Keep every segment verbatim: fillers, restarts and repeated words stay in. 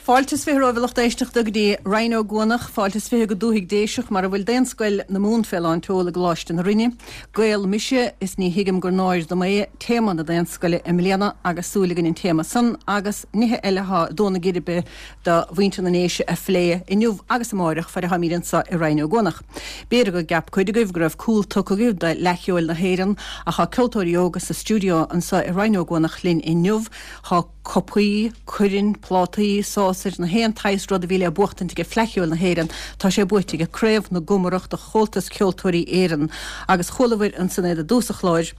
Fáilte is fiche romhaibh a lucht éisteachta go dtí Rinn Ó gCuanach, fáilte is fiche go dúthaigh Déiseach mar a bhfuil Daonscoil na Mumhan fé lán tseoil i gColáiste na Rinne. Gael mise is ní thuigim gur náire dom é, téama na Daonscoile i mbliana agus súil againn an téama san agus nithe eile atá ag dó na geirbe do mhuintir na nDéise a phlé inniu agus amáireach fad a tháimid anseo i Rinn Ó gCuanach. B'fhéidir go gceap cuid agaibh go raibh cúl tugtha agaibh do Fhleadh Cheoil na hÉireann ach tá ceoltóirí óga sa stiúideo anseo i Rinn Ó gCuanach linn inniu. Tá cupaí, coirn, plátaí, sásair, na haon tsaghas rud a bhí le buachtaint ag Fleadh Cheoil na hÉireann, tá sé buaite ag Craobh na gComarach de Chomhaltas Ceoltóirí Éireann. Agus chualabhair ansan iad i dtús an chláir,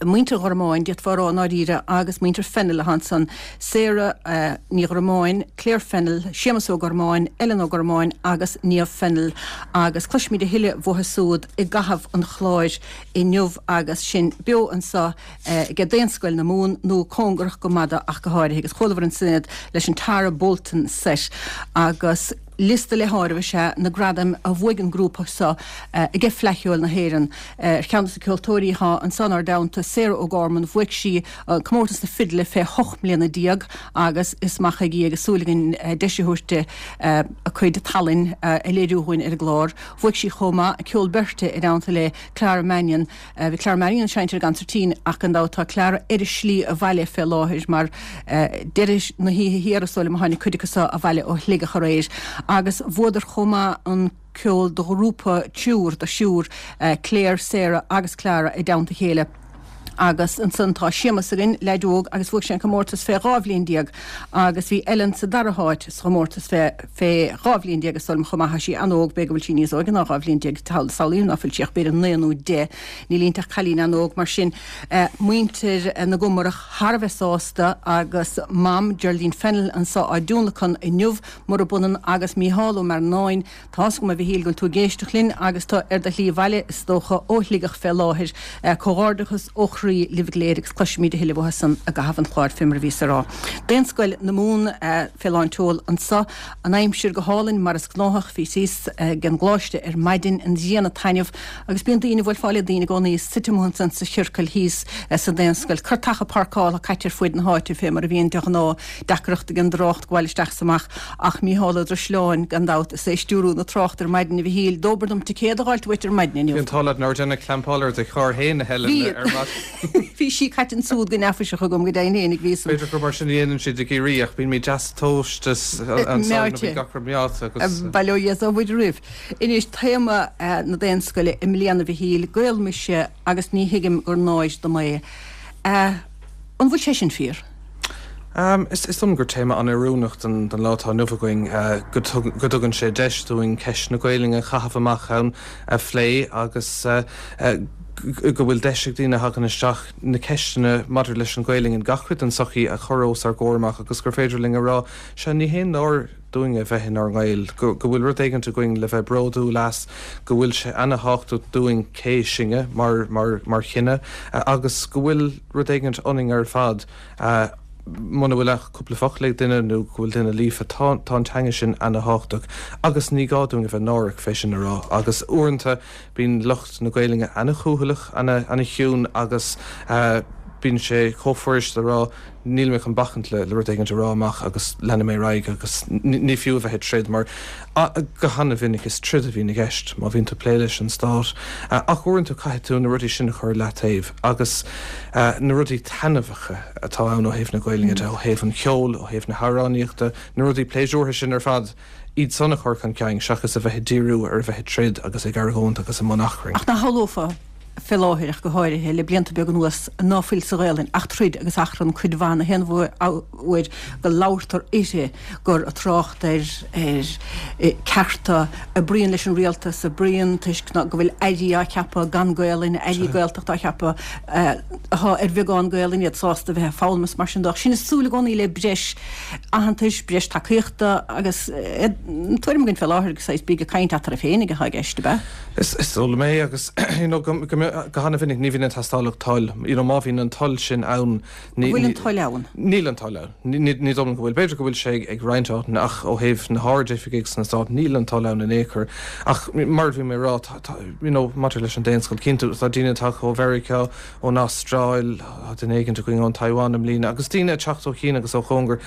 muintir Ghormáin, d'fhéadfá a rá i ndáiríre, agus muintir Fennell atá ansan, Sarah Ní Ghormáin, Claire Fennell, Séamus Ó Gormáin, Ellen Ó Gormáin agus Niamh Fennell. Agus cloisfimid a thuilleadh uathu siúd i gcaitheamh an chláir inniu agus sinn beo anseo ag Daonscoil na Mumhan, nó cóngarach go maith dó ach go háirithe, agus chualabhair ansan iad leis an Tara Bolton Set agus liosta le háireamh is ea na gradaim a bhuaigh an grúpa seo ag Fleadh Cheoil na hÉireann. Ar cheann de na ceoltóirí atá anso inár dteannta, Sarah O'Gorman, bhuaigh sí comórtas na fidle fé hocht mbliana déag agus is maith chuige í agus súil againn deis a thabhairt di a cuid talainn a léiriú dhúinn ar an gclár. Bhuaigh sí chomh maith ceol beirte i dteannta le Clara Mannion. Bhí Clara Mannion ag seinnt ar an gconsairtín ach gan dabht tá Clara ar a slí abhaile fé láthair mar deireadh na hoíche thiar is dóigh liom a tháinig cuid acu seo abhaile ó Shligeach aréir. Agus bhuadar chomh maith an ceol do ghrúpa triúr, do thriúr, Claire, Sarah agus Clara i dteannta a chéile. Agus ansan tá Séamus againn, leaid óg, agus bhuaigh sé an comórtas fé dhá bhliain déag agus bhí Ellen sa dara háit sa chomórtas fé fé dhá bhliain déag is dóigh liom chomh maith. Tá sí an-óg, b'fhéidir go bhfuil sí níos óige ná dhá bhliain déag, samhlaím ná fuil sí ach b'fhéidir naoi nó deich, níl inti ach cailín an-óg mar sin. Muintir na gComarach thar a bheith sásta agus Mam Geraldine Fennell anso á dtionlacan inniu, murab ionann agus Mícheál Ó Mearnáin, Tá's agam, a Mhichíl, go bhfuil tú ag éisteacht linn agus tú ar do shlí abhaile, is dócha, ó Shligeach fé láthair. Comhghairdeachas ó chroí libh go léir agus cloisfimid a thuilleadh uathu san i gcaitheamh an chláir, fé mar a bhíos a rá. Daonscoil na Mumhan fé lán tseoil anso. An aimsir go hálainn mar is gnáthach. Bhíos thíos ag an gcoláiste ar maidin, an ghrian ag taitneamh agus bíonn daoine, bhuailfeá le daoine i gcónaí, suite amuigh ansan sa chiorcal thíos sa Daonscoil. Cairteacha páirceála caite ar fuaid na háite fé mar a bhíonn de ghnáth. Deacracht ag an dtrácht gabháil isteach is amach ach Mícheál Ó Drisleáin, gan dabht, is é ag stiúrú na tráchta ar maidin a Mhichíl. Dóbair dom ticéad a dh'fháilt uait ar maidin inniu. Bhí an t-ádh leat nár deineadh clampáil ar do charr féin, a Helen, Bhí. ar maidin. Bhí sí caite ansúd go neafaiseach agam go deimhin fhéinig, bhí san. B'fhéidir gur mar sin a dhéanann siad i gCiarraí ach bíonn muid deas tomhaiste ansan nó Meáite. bíonn gach rud meáite agus. Bail ó Dhia is ó Mhuire roimh. Anois, téama na Daonscoile i mbliana, a Mhichíl, Gael mise agus ní thuigim gur náire dom é. An bhfuil sé sin fíor? Is dóigh liom gur téama an-oiriúnach don lá atá inniu againn, go dtugann sé deis dúinn ceist na Gaelainne a chaitheamh amach ann, a phlé agus go bhfuil deis ag daoine a thagann isteach na ceisteanna maidir leis an Ghaelainn in gach cuid den tsochaí a chur os ár gcomhair amach agus gur féidir linn a rá, sea, ní haon náire dúinn a bheith inár nGaeil, go bhfuil rud éigint againn le bheith bródúil as, go bhfuil sé ana-thábhachtach dúinn cé sinne mar, mar, mar chine agus go bhfuil rud éigint ionainn ar fad. Muna bhfuil ach cúpla focal ag duine nó go bhfuil duine líofa, tá, tá an teanga sin ana-thábhachtach agus ní gá dúinn a bheith náireach fé sin a rá. Agus uaireanta bíonn lucht na Gaelainne ana-chúthaileach, ana, ana-chiúin agus bíonn sé chomh fuirist a rá níl mé chun bacaint le rud éigin a rá amach agus leanfaidh mé ar aghaidh agus ní fiú a bheith ag troid mar go hana-mhinic is troid a bhíonn i gceist má bhíonn tú ag plé leis an stát. Ach uaireanta caithfidh tú na rudaí sin a chur i leataobh agus na rudaí taitneamhacha atá ann ó thaobh na Gaelainne de, ó thaobh an cheoil, ó thaobh na hamhránaíochta, na rudaí pléisiúrtha sin ar fad, iad san a chur chun cinn seachas a bheith ag díriú ar a bheith ag troid agus ag argóint agus i mbun achrainn. Ach nach shamhlófá fé láthair ach go háirithe le blianta beaga anuas ná fuil sa Ghaelainn ach troid agus achrann cuid mhaith na haon uair go labhartar uirthi gur ag trácht ar ar cearta a bruíon leis an rialtas, a bruíon toisc go bhfuil airí á cheapadh gan Gaelainn, airí Gaeltachta á cheapadh atá ar bheagán Gaelainn, iad sásta a bheith ag foghlaim is mar sin de. Ach sinn ag súil i gcónaí le breis aitheantais, breis tacaíochta agus an tuairim againn fé láthair agus saghas bí ag caint eatarthu féinig atá i gceist, ab ea? Is dóigh liom é agus you know go mbeadh Go han-mhinic ní bhíonn ag teastáil ach toil. You know, má bhíonn an toil sin ann. An bhfuil an toil ann? Níl an toil ann. Ní dóigh liom go bhfuil. B'fhéidir go bhfuil sé ag roinnt áiteanna ach ó thaobh na hardoifigigh sna Stáit níl an toil ann in aon chor. Ach mar a bhí mé ag rá, tá, you know, maidir leis an Daonscoil, cinnte, tá daoine ag teacht ó Mheiriceá, ón Astráil, tá duine éigin againn ón Taiwan i mbliana, agus daoine ag teacht ó chian agus ó chóngar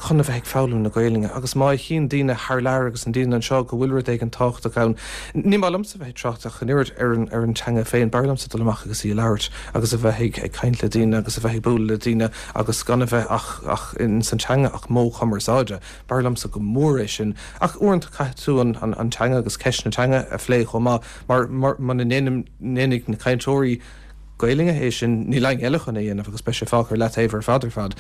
chun a bheith ag foghlaim na Gaelainne. Agus má chíonn daoine thar lear agus an daoine anseo go bhfuil rud éigin tábhachtach ann, ní maith liomsa bheith ag trácht ach an oiread ar an, ar an teanga féin, b'fhearr liomsa dul amach agus í a labhairt agus a bheith ag, ag caint le daoine agus a bheith ag bualadh le daoine agus gan a bheith ach, ach ins an teanga ach modh cumarsáide. B'fhearr liomsa go mór é sin. Ach uaireanta caithfidh tú an, an, an teanga agus ceist na teanga a phlé chomh maith mar, mar muna ndéanfaidh na cainteoirí Gaelainne é sin, níl éinne eile chun é a dhéanamh agus beidh sé fágtha ar leataobh ar fad ar fad.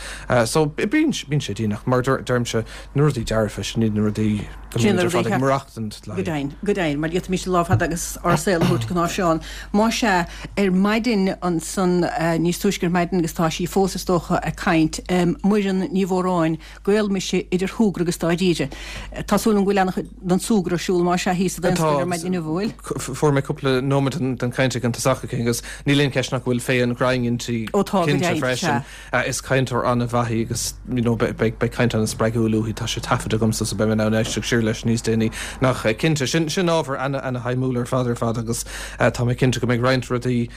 So bíonn, bíonn sé dian ach mar deirimse, na rudaí dearfa, sin iad na rudaí go Sin mbímid na ar rudaí fad ag maireachtaint le Go haghaidh. deimhin, go deimhin, mar d'fhéadfaimis lá fada agus ár saol a thabhairt go Seán. Más ea, ar maidin ansan, níos túisce ar maidin agus tá sí fós is dócha ag caint, Muireann Ní Mhóráin, Gael mise idir shúgradh agus dáiríre. Tá súil agam go bhfuil an-chuid den súgradh ar siúl más ea thíos sa Daonscoil ar maidin inniu, an bhfuil? Fuair mé cúpla nóiméad den chaint ag an tosach aici agus níl aon cheist nach bhfuil féith an ghrinn inti Ó tá, go cinnte deimhin, freisin. sea. Is cainteoir an-mhaith í agus you know beidh beidh caint an-spreagúil uaithi. Tá sé taifeadta agamsa so beidh mé in ann éisteacht siar leis níos déanaí. Nach cinnte, sin sin ábhar ana-shuimiúil ar fad ar fad agus tá mé cinnte go mbeidh roinnt rudaí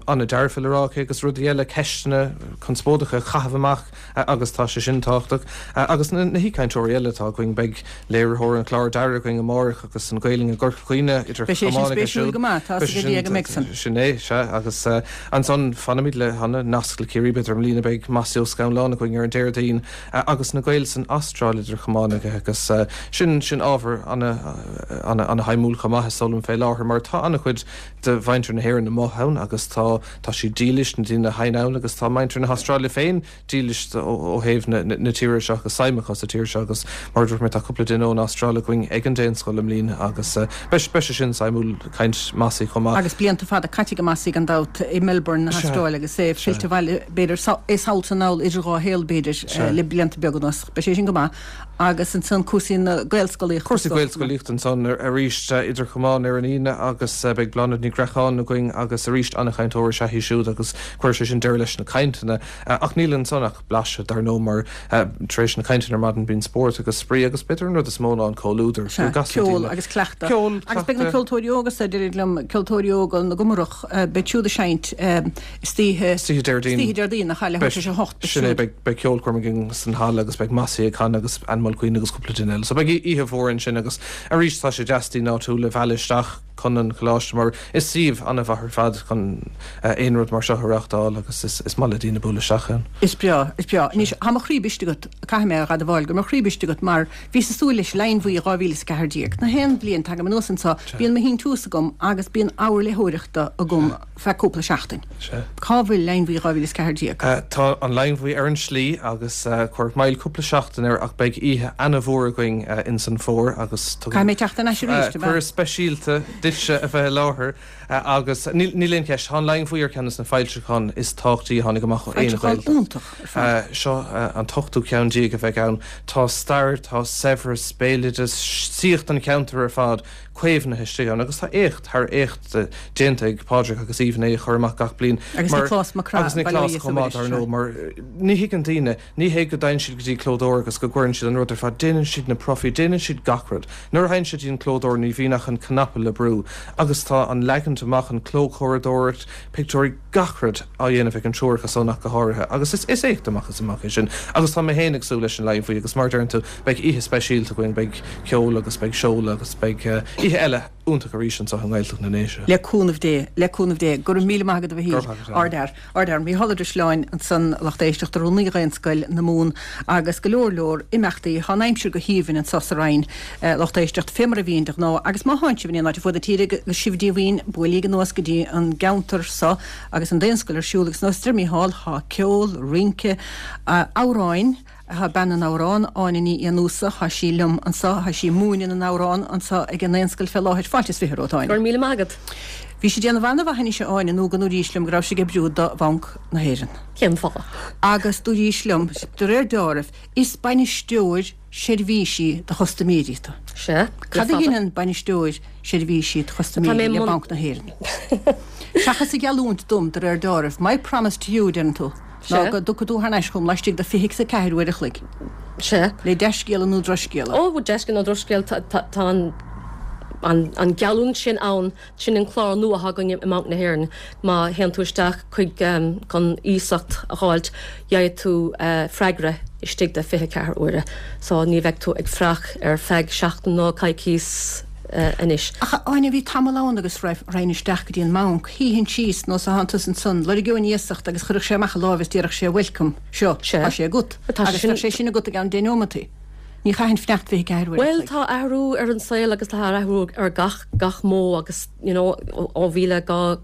an-dearfa le rá aici agus rudaí eile, ceisteanna conspóideacha a chaitheamh amach agus tá sé sin tábhachtach. Agus na haoichainteoirí eile atá againn, beidh léiritheoir an chláir Dara againn amárach agus an Ghaelainn i gCorca Dhuibhne idir Beidh sé sin chamáin aige spéisiúil siúd. go maith, tá Beidh sé a fhios sin go mbeidh san. sin é, sea, agus ansan fanfaimid le han-nasc le Ciarraí b'fhéidir i mbliana beidh Mossy Ó Scanláin againn ar an Déardaoin agus na Gaeil san Astráil idir chamáin aige agus sin sin ábhar ana-shuimiúil chomh maith is dóigh liom fé láthair mar tá an-chuid de mhuintir na hÉireann amuigh ann agus tá tá siad dílis na daoine a théann ann agus tá muintir na hAstráile féin dílis ó thaobh na na tíre seo agus suim acu sa tír seo agus mar a dúirt mé tá cúpla duine ón Astráil againn ag an Daonscoil i mbliana agus beidh beidh sé sin suimiúil caint Mossy chomh maith. Agus blianta fada caite ag Mossy gan dabht i Melbourne na hAstráile agus é fillte abhaile b'fhéidir é sall anall idir dhá shaol b'fhéidir le blianta beaga anuas. Beidh sé sin go maith agus ansan cúrsaí na Gaelscolaíochta. Cúrsaí Gaelscolaíochta ansan arís idir chamáin ar an Aoine agus beidh Bláthnaid Ní Ghreacháin againn agus arís an-chainteoir is ea í siúd agus cuirfidh sé sin deireadh leis na cainteanna ach níl ansan ach blaiseadh dar ndóigh mar tar éis na cainteanna ar maidin bíonn spórt agus spraoi agus b'fhéidir an rud is mó ná an comhluadar. Ceol agus cleachtadh. Ceol, Agus beidh na ceoltóirí óga sa deireadh liom ceoltóirí óga na gComarach beidh siúd ag seinnt istoíche Istoíche Déardaoin. Istoíche Déardaoin nach ea le a hocht. Sin é beidh beidh ceolchoirm againn san halla agus beidh Mossy ag canadh agus Anne Mulqueen agus cúpla duine eile. So beidh oíche mhór ansin agus arís tá sé deas daoine áitiúla a mhealladh isteach chun an choláiste mar is suíomh an-mhaith ar fad chun aon rud mar seo a reáchtáil agus is, is maith le daoine bualadh isteach ann. Is breá, is breá. Anois tá mo chroí briste agat caithfidh mé a admháil go mo chroí briste agat mar bhíos ag súil leis Leanbh Bhuí dhá mhíle is a ceathair déag. Nach aon bhliain tagaim anuas anseo bíonn mo shíntiús agam agus bíonn ábhar léitheoireachta agam feadh cúpla seachtain. Cá bhfuil Leanbh Bhuí dhá mhíle is a ceathair déag? Tá an Leanbh Bhuí ar an slí agus cuireadh moill cúpla seachtain air ach beidh oíche an-mhór againn in san fómhar agus Caithfidh mé teacht in ais arís, cuireadh speisialta duitse a bheith i láthair agus níl aon cheist tá an Leanbh Bhuí ar ceann de na foilseacháin is tábhachtaí a tháinig amach ó aon Foilseachán iontach ar fad. Seo an t-ochtú ceann déag a bheidh ann. Tá stair, tá saibhreas, béaloideas, saíocht an cheantair ar fad caomhnaithe istigh ann agus tá éacht thar éacht déanta ag Pádraig agus Aoibhinn é a chur amach gach bliain. Agus Nioclás Mac Craith agus Nioclás chomh maith dar ndóigh mar ní thuigeann daoine, ní hé go dtéann siad go dtí clódóir agus go gcuireann siad an rud ar fad, déanann siad na profaí, déanann siad gach rud. Nuair a théann siad dtí an clódóir ní bhíonn ach an cnaipe le brú agus tá an leagant amach an clóchomhairleoireacht, pictiúirí gach rud á dhéanamh ag an triúr acu san ach go háirithe agus is is éacht amach is amach é sin. Agus tá mé féin ag súil leis an Leanbh Bhuí agus mar deireann tú beidh oíche speisialta againn, beidh ceol agus beidh seoladh agus beidh oíche eile iontach arís anseo i nGaeltacht na nDéise. Le cúnamh Dé, le cúnamh Dé, go raibh míle maith agat a Go raibh maith Mhichíl. agat. Ardfhear, ardfhear. Mícheál Ó Drisleáin ansan lucht éisteachta Rúnaí Dhaonscoil na Mumhan agus go leor leor imeachtaí tá an aimsir go haoibhinn anseo sa Rinn lucht éisteachta fé mar a bhíonn de ghnáth agus má thánn sibh in aon áit ar fud na tíre agus sibh díomhaoin buailíg anuas go dtí an gceantar so agus an Daonscoil ar siúl agus nós deir Mícheál tá ceol, rince, amhráin, Tá bean na n-amhrán, Áine Ní Fhiannúsa, tá sí liom anseo, tá sí ag múineadh na n-amhrán anseo ag an nDaonscoil fé láthair. Fáilte is fiche romhat, Áine. Go raibh míle maith agat. Bhí sé ag déanamh an-mhaith anois a Áine nó go ndúraís liom go raibh sé ag oibriú do Bhanc na hÉireann. Cén fáth? Agus dúraís liom, de réir dealraimh, is bainisteoir seirbhísí do chustaiméirí tú. Sea. Cad a dhéanann bainisteoir seirbhísí do chustaiméirí le Banc na hÉireann? Seachas a gheallúint dom, de réir dealraimh, my promise to you, deireann tú, ná go dtiocfaidh tú thar n-ais chugam laistigh de fiche is a ceathair uair a chloig. Sea. Le dea-scéala nó drochscéala. Ó, dea-scéal nó drochscéal, tá an an geallúint sin ann, sin an clár nua atá againn i mBanc na hÉireann. Má théann tú isteach chuig chun iasacht a fháilt, gheobhaidh tú freagra istigh de fiche ceathair uaire. So ní bheidh tú ag fuireach ar feadh seachtain nó coicís anois. Ach a Áine, bhí tamall ann agus raghainn isteach go dtí an mbanc, shuífinn síos nó sa tánn tusa ansan, lorgóinn iasacht agus chuirfeadh sé amach a láimh is déarfadh sé welcome, seo, tá sé agat. Agus bheadh sé sin agat i gceann deich neomataí. Ní chaithfinn fanacht fiche ceathair uair a Bhuel, chloig. tá athrú ar an saol agus tá athrú ar gach, gach modh agus, you know, ó mhíle dhá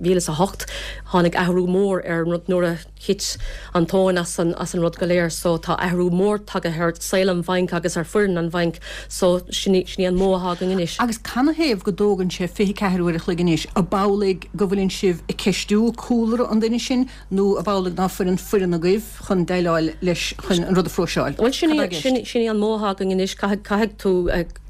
mhíle is a hocht tháinig athrú mór ar an rud nuair a thit an tóin as an, as an rud go léir so tá athrú mór tagtha ar saol an bhainc agus ar foireann an bhainc so sin í, sin í an modh atá againn anois. Agus canathaobh go dtógann sé fiche ceathair uair a chloig anois? Ab amhlaidh go bhfuileann sibh ag ceistiú cúlra an duine sin nó ab amhlaidh ná fuileann foireann agaibh chun déileáil leis chun an rud a phróiseáil? Bhuel, sin Cad í, tá i gceist? sin, sin í an modh atá againn anois. Caithfidh, caithfidh tú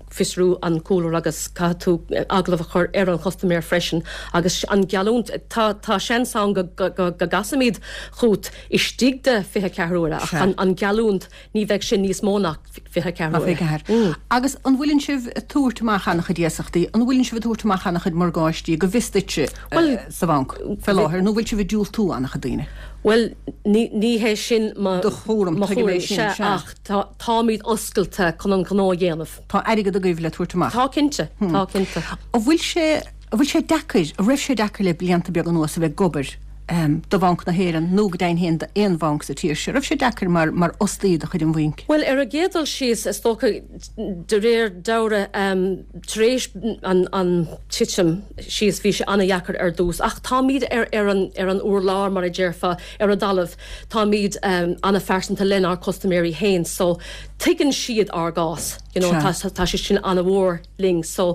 fiosrú an cúlra agus caithfidh tú agallamh a chur ar an chustaiméir freisin agus an geallúint, tá, tá seans ann go, go, go, go gcasfaimid chugat istigh de fiche ceathair uaire ach Sea. an, an geallúint ní bheidh sin níos mó ná fiche ceathair Ná uaire. fiche ceathair. Agus an bhfuileann sibh ag tabhairt amach an-chuid iasachtaí? An bhfuileann sibh ag tabhairt amach an-chuid morgáistí go bhfios duitse Bhuel, sa bhanc fé láthair nó bhfuil sibh ag diúltú an-chuid daoine? Bhuel, ní, ní hé sin mo, Do chúram, mo tuigim é chúram, sin, sea, sea. ach tá, táimid oscailte chun an gnó a dhéanamh. Tá airgead agaibh le tabhairt amach. Tá cinnte, tá cinnte. An bhfuil sé, an bhfuil sé deacair, an raibh sé deacair le blianta beaga anuas a bheith ag obair do Bhanc na hÉireann nó go deimhin féin d'aon bhanc sa tír seo? Raibh sé deacair mar, mar fhostaí de chuid an bhainc? Bhuel, ar an gcéad dul síos, is dócha, de réir dealraimh, tar éis an, an titim síos, bhí sé an-dheacair ar dtús, ach táimid ar, ar an, ar an urlár, mar a déarfá, ar an dtalamh, táimid an-phearsanta lenár custaiméirí féin, so tuigeann siad ár gcás, you know, tá, tá sé sin an-mhór linn, so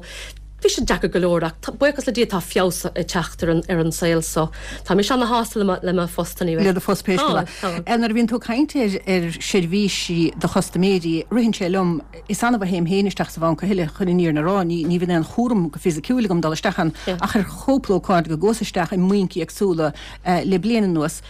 bhí sé deacair go leor ach buíochas le Dia tá feabhas ag teacht ar an, ar an saol so tá mise ana-shásta le mo, le mo phost anyway. Le do phost pé scéal é. Nuair a bhíonn tú ag caint ar, ar seirbhísí do chustaiméirí, ritheann sé liom, is annamh a théim féin isteach sa bhanc a thuilleadh chun an fhírinne a rá, ní, ní bhíonn aon chúram go fisiciúil agam dul isteach ann ach ar chúpla ócáid go gcuas isteach i mbainc éagsúla le bliain anuas.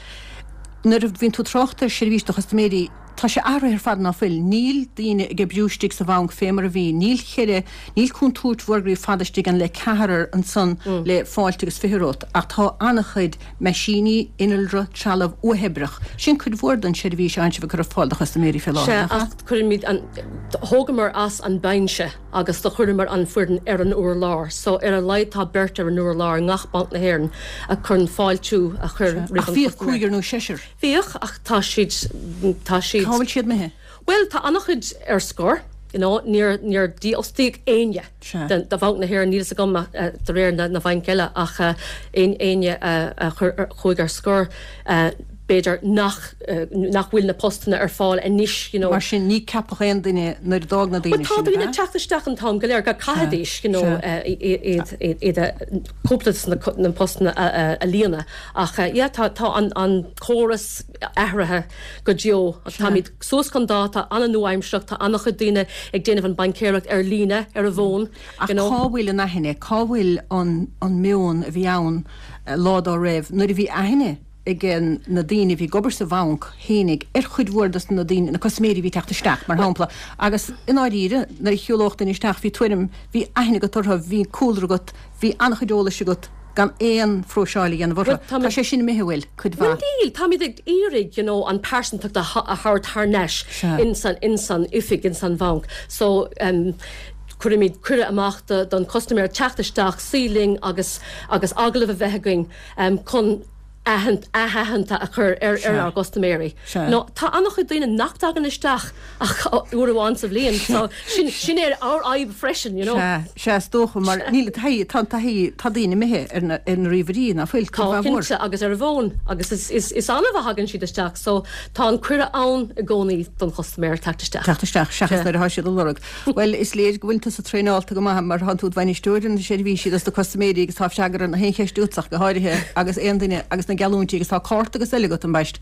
Nuair a bhíonn tú ag trácht ar seirbhís do chustaiméirí, Tá sé athraithe ar fad ná fuil? Níl daoine ag oibriú istigh sa bhanc fé mar a bhí. Níl cheithre, níl cúntúirt mhór fada istigh ann le ceathrar ansan le fáilte agus fiche romhat ach tá an-chuid meaisíní, innealra, trealamh uathoibreach. Sin cuid mhór den seirbhís a fhaigheann sibh ag cur ar fáil do chustaiméirí fé láthair, Sea, nach ea? ach cuirimid an, thógamar as an binse agus do chuireamar an foireann ar an urlár. So ar a laghad tá beirt ar an urlár i ngach Banc na hÉireann a chun fáiltiú a chur Sea, roimh ach an bhíodh chustaiméir. cúigear nó seisear. Bhíodh, ach tá siad, tá siad. Cá bhfuil siad imithe? Bhuel, tá an-chuid ar scor, you know, níor, níor dífhostaíodh éinne de, de Bhanc na hÉireann, níl fhios agam de réir na, na bhainc eile ach aon, éinne a chuir, a chuaigh ar scor, b'fhéidir nach, nach bhfuil na postanna ar fáil anois, you know. Mar sin, ní ceapadh aon duine nuair a d'fhág na Bhuel, daoine tá sin, ab daoine ea? ag teacht isteach an t-am go léir, go Sea, caithfidís, you know, sea. iad, iad, iad a, cúpla de na, na postanna a, a, a líonadh ach yeah, tá, tá an, an córas athraithe go deo. Táimid suas chun dáta, an-nua-aimsearach, tá an-chuid daoine ag déanamh an baincéireacht ar líne, ar a bhfón, Ach you know. cá bhfuil an aithne, cá bhfuil an, an meon a bhí ann lá dá raibh, nuair a bhí aithne ag na daoine a bhí ag obair sa bhanc fhéinig ar chuid mhór dos na daoine, na custaiméirí a bhí ag teacht isteach, mar shampla. Agus i ndáiríre, nuair a shiúlódh duine isteach, bhí tuairim, bhí aithne agat orthu, bhí cúlra agat, bhí an-chuid eolais agat gan aon phróiseáil a dhéanamh orthu. Tá sé sin imithe, an bhfuil, cuid Bhuel mhaith. níl, táimid ag iarraidh, you know, an pearsantacht a thabhairt thar n-ais ins an, ins an oifig, ins an bhanc. So, um, cuirimid cuireadh amach do, don custaiméir teacht isteach, suí linn agus, agus agallamh a bheith againn um, chun Aithne a chur ar ar ár gcustaiméirí. Nó tá an-chuid daoine nach dtagann isteach ach uair amháin sa bhliain, so sin sin é ár fhadhb freisin, you know. Sea, sea, is dócha, mar níl taithí, tá taithí, tá daoine imithe ar na ar na ríomhairí, ná fuil, Tá, cinnte, agus ar an bhfón, agus is is is annamh a thagann siad isteach, so tá an cuireadh ann i gcónaí don chustaiméir teacht isteach. Teacht isteach, seachas nuair atá siad á lorg. Bhuel, is léir go bhfuil tusa traenáilte go maith mar tá tú id bhainisteoir ar na seirbhísí dos na custaiméirí agus tá freagra ar na haon cheist uait ach go háirithe agus aon duine agus na geallúintí agus tá cárta agus eile agat ambaist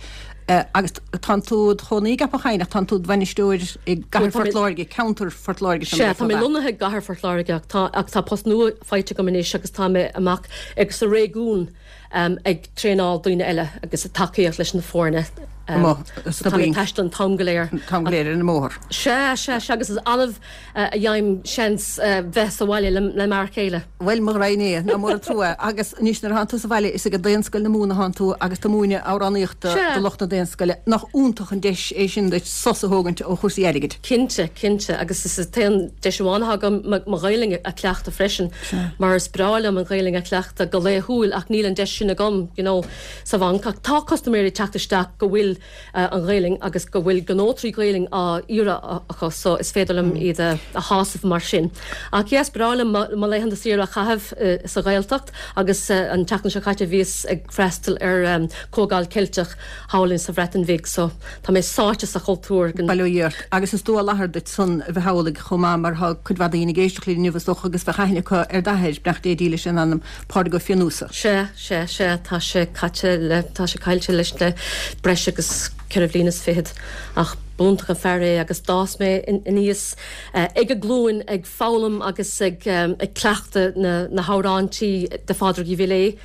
agus tánn tú id chónaí i gCeapach Eidhneach, tánn tú id bhainisteoir i gcathair Phort Láirge, ceantar Phort Láirge Sea, tá mé lonnaithe i gcathair Phort Láirge ach tá ach tá post nua faighte agam anois agus tá mé amach ag sa réigiún ag traenáil daoine eile agus ag tacaíocht leis na foirne. So tá mé ag taisteal an t-am go léir. An t-am go léir ar an mbóthar. Sea, sea, sea agus is annamh a fhaighim seans bheith sa bhaile le m'fhear céile. Bhuel, mo ghraidhin é, nach mór an trua. Agus anois nuair atánn tú sa bhaile is ag an Daonscoil na Mumhan atánn tú agus tú ag múineadh amhránaíochta do lucht na Daonscoile. Nach iontach an deis é sin duit sos a thógaint ó chúrsaí airgid? Cinnte, cinnte. Agus is é an t-aon deis amháin atá agam mo Ghaelainn a chleachtadh freisin mar is breá liom an Ghaelainn a chleachtadh go laethúil ach níl an deis sin agam, you know, sa bhanc. Ach tá custaiméirí ag teacht isteach go bhfuil an Ghaelainn agus go bhfuil gnó trí Ghaelainn á iarraidh acu so is féidir liom iad a shásamh mar sin. Ach yeah, is breá liom mo laethanta saoire a chaitheamh sa Ghaeltacht agus an tseachtain seo caite bhíos ag freastal ar Comhdháil Ceilteach thall sa Bhreatain Bhig so tá mé sáite sa chultúr. Bail ó Dhia ort. Agus is dua l'athar duit san a bheith amhlaidh chomh maith mar tá cuid mhaith daoine ag éisteacht linn inniu is dócha agus bheadh aithne acu ar d'athair, beannacht Dé dílis lena anam, Pádraig Ó Fiannúsa. Sea, sea, sea, tá sé caite le, tá sé caillte leis le breis agus ceithre bhliain is fichead ach b'iontach an fear é agus d'fhás mé aníos ag a glúin ag foghlaim agus ag ag cleachtadh na na hamhráintí de Phádraig Uí Mhiléadh,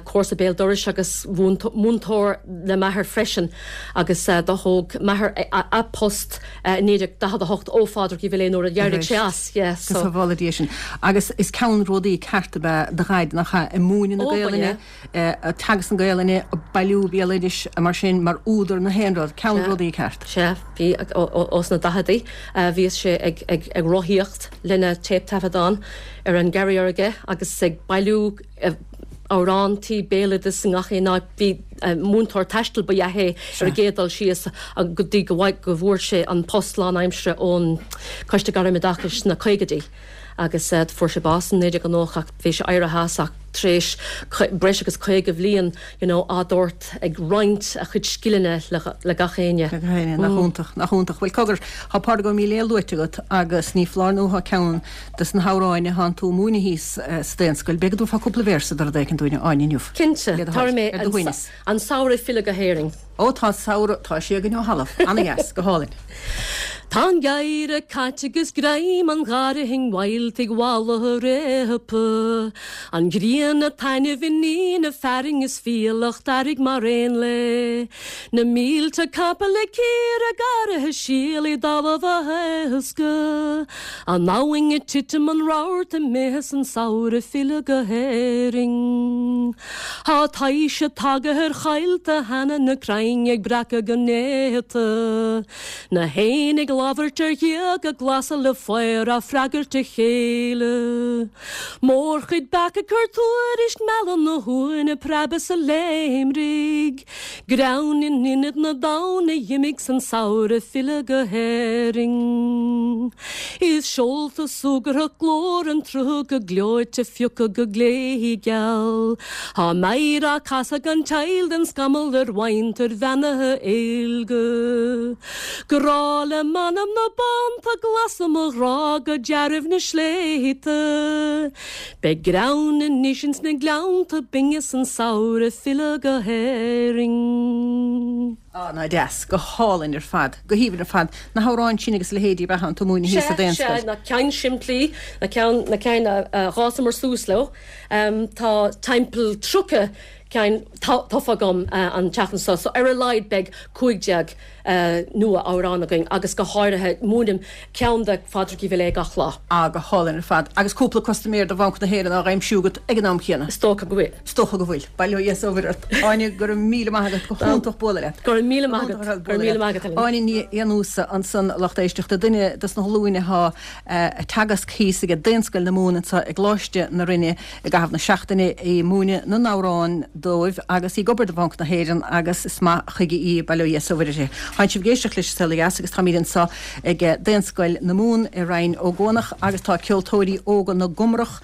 comharsa béal dorais agus múinteoir le m'athair freisin agus do thóg m'athair a post i naoi déag daichead a hocht ó Phádraig Uí Mhiléadh nuair a d'éirigh sé as, yeah, so. Go sábhála Dia sinn. Agus is ceannródaí ceart ab ea do dhaid, nach ea, ag múineadh na Gaelainne, ag teagasc na Gaelainne, ag bailiú béaloidis, mar sin, mar údar na haon rud, ceannródaí ceart. Sea, bhí, ós na daicheadaí, bhíos sé ag ag ag rothaíocht lena téiptaifeadán ar an gcarrier aige agus ag bailiú amhrántaí, béaloideas i ngach aon áit. Bhí múinteoir taistil ba ea é ar an gcéad dul síos go dtí go bhfuair sé an post lánaimseartha ón Coiste Gairmoideachais sna caogaidí agus fuair sé bás in naoi déag nócha ach bhí sé éirithe as ach tar éis breis agus caoga bhliain you know á dtabhairt ag roinnt a chuid scileanna le gach éinne. Le gach éinne, nach iontach, nach iontach. Bhuel cogar, tá Pádraig Ó Míléadh luaite agat agus ní foláir nó tá ceann des na hamhráin atánn tú a múineadh thíos sa Daonscoil, b'fhéidir go dtabharfá cúpla véarsa de rud éicint dúinn, a Áine, inniu. Cinnte, tabharfaidh mé an samhradh ag filleadh go hÉirinn. Ó tá an samhradh, tá sé againn ó thalamh. Ana-dheas, go hálainn. Tá an geimhreadh caite agus greim an gharraithe mhealltaigh mhallaithe réabtha, an ghrian ag taitneamh i ndiaidh na fearthainne is fialacht earraigh mar aon léi. Na mílte capall ag cíoradh garraithe síol i dtalamh a thaoscadh, an abhainn ag titim an rabharta imithe 's an samhradh ag filleadh go hÉirinn. Tá taibhse tagaithe ar choillte cheana, na crainn ag breacadh go néata, na héin ag labhairt ar ghéaga glasa le faobhar á freagairt a chéile. Mórchuid beach ag cur tuairisc mealladh na huaine preabadh 's a léimrigh. Greann in ionad na dtonn a dh'imigh 's an samhradh ag filleadh go hÉirinn. Is seolta súgarthach glór an tsrutha go gleoite fiuchadh go gléigeal. Tá meidhir á casadh gan teill den scamall ar mhuintir bheannaithe Éilge. Grá le m'anam na bánta glasa mo ghrá go dearbh na sléibhte. Beidh greann anois ins na gleannta binge 's an samhradh ag filleadh go hÉirinn. Á, ná deas. Go hálainn ar fad. Go haoibhinn ar fad. Na hamhráin sin agus a leithéidí ab ea atánn tú a múineadh thíos sa Sea, Daonscoil. sea, na ceann simplí, na ceann, na ceann a dh'fhásamar suas leo. Tá timpeall tríocha ceann tofa agam an tseachtain seo, so ar a laghad beidh cúig déag nua amhrán againn agus go háirithe múinim ceann de Phádraig Uí Mhiléadh gach lá. Ah, go hálainn ar fad. Agus cúpla custaiméir do Bhanc na hÉireann á aimsiú agat ag an am chéanna. Is dócha go bhfuil. Is dócha go bhfuil. Bail ó Dhia is ó Mhuire ort. Áine, go raibh míle maith agat. Go hiontach bualadh leat. Go raibh míle maith agat. Go raibh míle maith agat, Helen. Áine Ní Fhiannúsa ansan, a lucht éisteachta, duine dos na glúine atá ag teagasc thíos ag Daonscoil na Mumhan anseo i gColáiste na Rinne i gcaitheamh na seachtaine, í ag múineadh na n-amhrán dóibh agus í ag obair do Bhanc na hÉireann agus is maith chuige í, bail ó Dhia is ó Mhuire uirthi. Tánn sibh ag éisteacht leis An Saol Ó Dheas agus táimid anseo ag Daonscoil na Mumhan i Rinn Ó gCuanach agus tá ceoltóirí óga na gComrach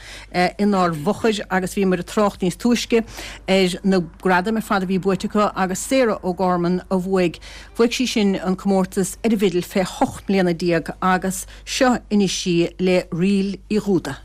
inár bhfochair agus bhíomar ag trácht níos túisce ar na gradaim ar fad a bhí buaite acu agus Sarah O'Gorman a bhuaigh, bhuaigh sí sin an comórtas ar an bhfidil fé hocht mbliana déag agus seo anois í le Ríl Uí Dhúda.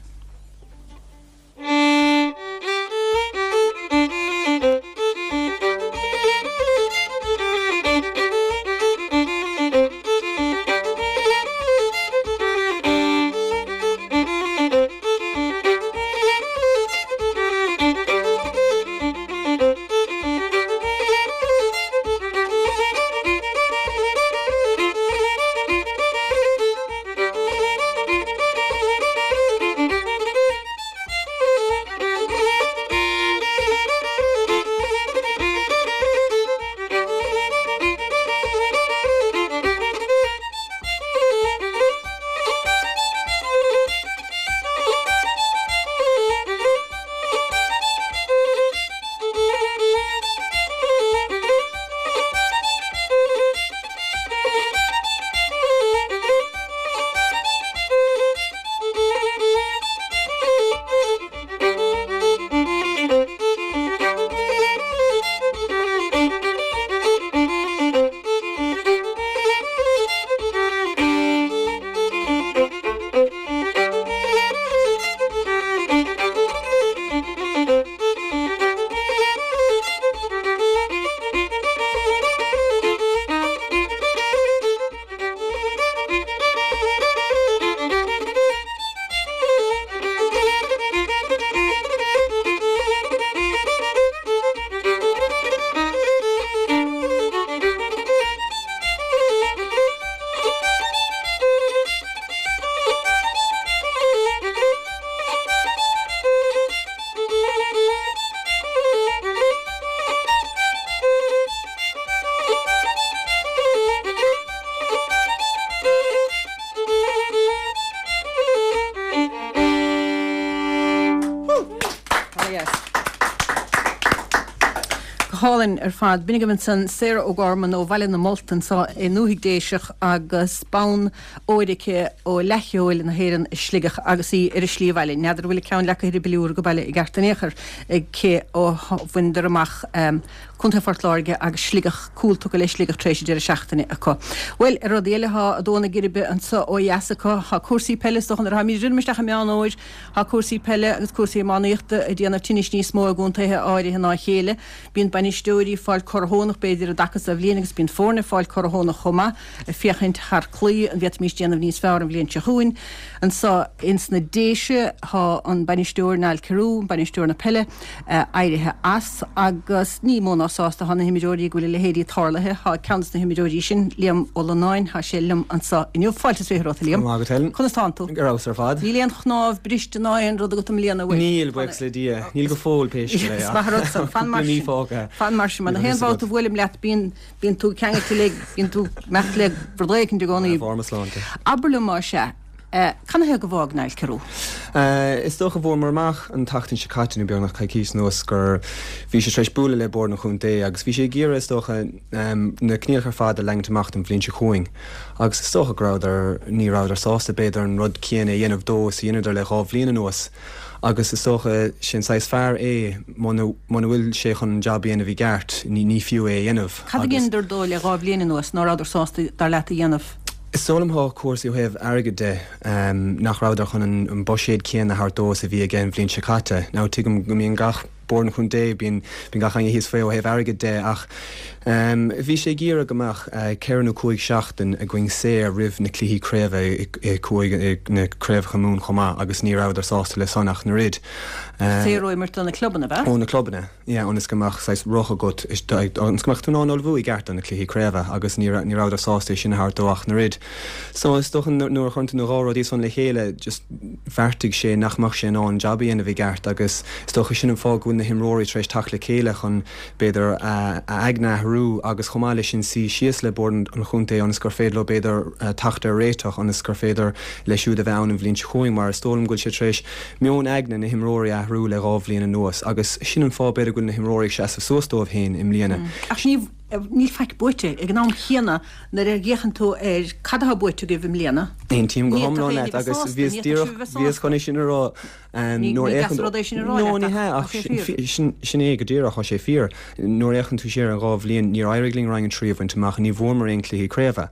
Go hálainn ar fad. B'in agaibh ansan Sarah O'Gorman ó Bhaile na Molt anseo i nDúthaigh Déiseach agus bonn óir aici ó Fhleadh Cheoil na hÉireann i Sligeach agus í ar a slí abhaile. N'fheadar an bhfuil a ceann leagtha ar an bpiliúr go baile i gceart in aon chor aici ó bhaineadar amach Contae Phort Láirge agus Sligeach, cúl tugtha le Sligeach tar éis an deireadh seachtaine acu. Bhuel, ar rudaí eile, tá ag dó na geirbe anseo ó dheas acu. Tá cúrsaí peile, is dócha nuair atáimid ag druidim isteach i Meán Fhómhair, Tá cúrsaí peile agus cúrsaí iománaíochta ag déanamh tinnis níos mó i gcontaetha áirithe ná a chéile. Bíonn bainisteoirí ag fáil corrathónach b'fhéidir i dtaca sa bhliain agus bíonn foirne ag fáil corrathónach chomh maith ag féachaint thar claí an bhféadfaimis déanamh níos fearr an bhliain seo chugainn. Anseo ins na Déise tá an bainisteoir Niall Carew, bainisteoir na peile, éirithe as agus ní mó ná sásta atá na himreoirí go bhfuil a leithéidí tarlaithe. Tá ceann de na himreoirí sin, Liam Ó Lonáin, tá sé liom anseo inniu. Fáilte is fiche romhat, a Liam. Go maith agat, Helen. Conas tánn tú? Ar fheabhas ar fad. Níl aon chnámh briste ná aon rud agat i mbliana, an bhfuil? Níl, buíochas le Dia. Níl go fóill, pé scéal é. Is maith an rud san. Fan mar sin. Fan mar sin. Mar na haon bhabhta a bhuailim leat bíonn bíonn tú ceangailte le bíonn tú ag imeacht le rud éicint i gcónaí. I bhform a sláinte. Abair liom más ea, Canathaobh go bhfág Niall Carew? Is dócha, bhfuaireamar amach an tseachtain seo caite, nó beagnach coicís anuas, gur bhí sé tar éis bualadh le Bord an Chontae agus bhí sé ag iarraidh, is dócha, na coinníollacha ar fad a leagaint amach don bhliain seo chugainn agus is dócha go rabhadar, ní rabhadar sásta b'fhéidir an rud céanna a dhéanamh dó is a dheineadar le dhá bhliain anuas agus is dócha, sin saghas fear é, muna bhfuil sé chun an jab a dhéanamh i gceart, ní fiú é a dhéanamh. Cad a dheineadar dó le dhá bhliain anuas ná rabhadar sásta, dar leat, a dhéanamh? Is dóigh liom thá cúrsaí ó thaobh airgid de, nach rabhadar chun an buiséad céanna a thabhairt dó is a bhí aige an bhliain seo caite. Now tuigim go mbíonn gach Bord an Chontae, bíonn bíonn gach éinne thíos faoi ó thaobh airgid de ach bhí sé ag iarraidh go mbeadh ceithre nó cúig seachtain againn saor roimh na cluichí craoibhe i cúig na craobhacha Mumhan chomh maith agus ní rabhadar sásta le san ach an oiread. Saor ó imirt do na clubanna, ab ea? Ó na clubanna. Yeah, ionas go mbeadh saghas roth agat, ionas go mbeadh tú in ann ullmhú i gceart do na cluichí craoibhe agus ní ní rabhadar sásta é sin a thabhairt dó ach an oiread. So is dócha nuair a chuireann tú na dhá rudaí san le chéile just bheartaigh sé nach mbeadh sé in ann jab a dhéanamh i gceart agus is dócha sin an fáth go bhfuil na himreoirí tar éis teacht le chéile chun b'fhéidir a aigne a athrú agus chomh maith leis sin suí síos le bord an chontae ionas gur féidir leo b'fhéidir teacht ar réiteach ionas gur féidir leis siúd a bheith ann an bhliain seo chugainn mar is dóigh liom go bhfuil sé tar éis meon aigne na himreoirí a athrú le dhá bhliain anuas agus sin an fáth b'fhéidir go bhfuil na himreoirí ag seasamh suas dóibh féin i mbliana. Ach ní níl faic buaite ag an am chéanna nuair a fhéachann tú ar cad atá buaite agaibh i mbliana. Aontaím go hiomlán leat agus bhíos díreach bhíos chun é sin a rá Ní deas rud é sin a rá No ní hea ach sin é go díreach tá sé fíor. Nuair a fhéachann tú siar an dhá bhliain níor éirigh linn Roinn a trí a bhaint amach ní bhfuaireamar aon cluichí craoibhe.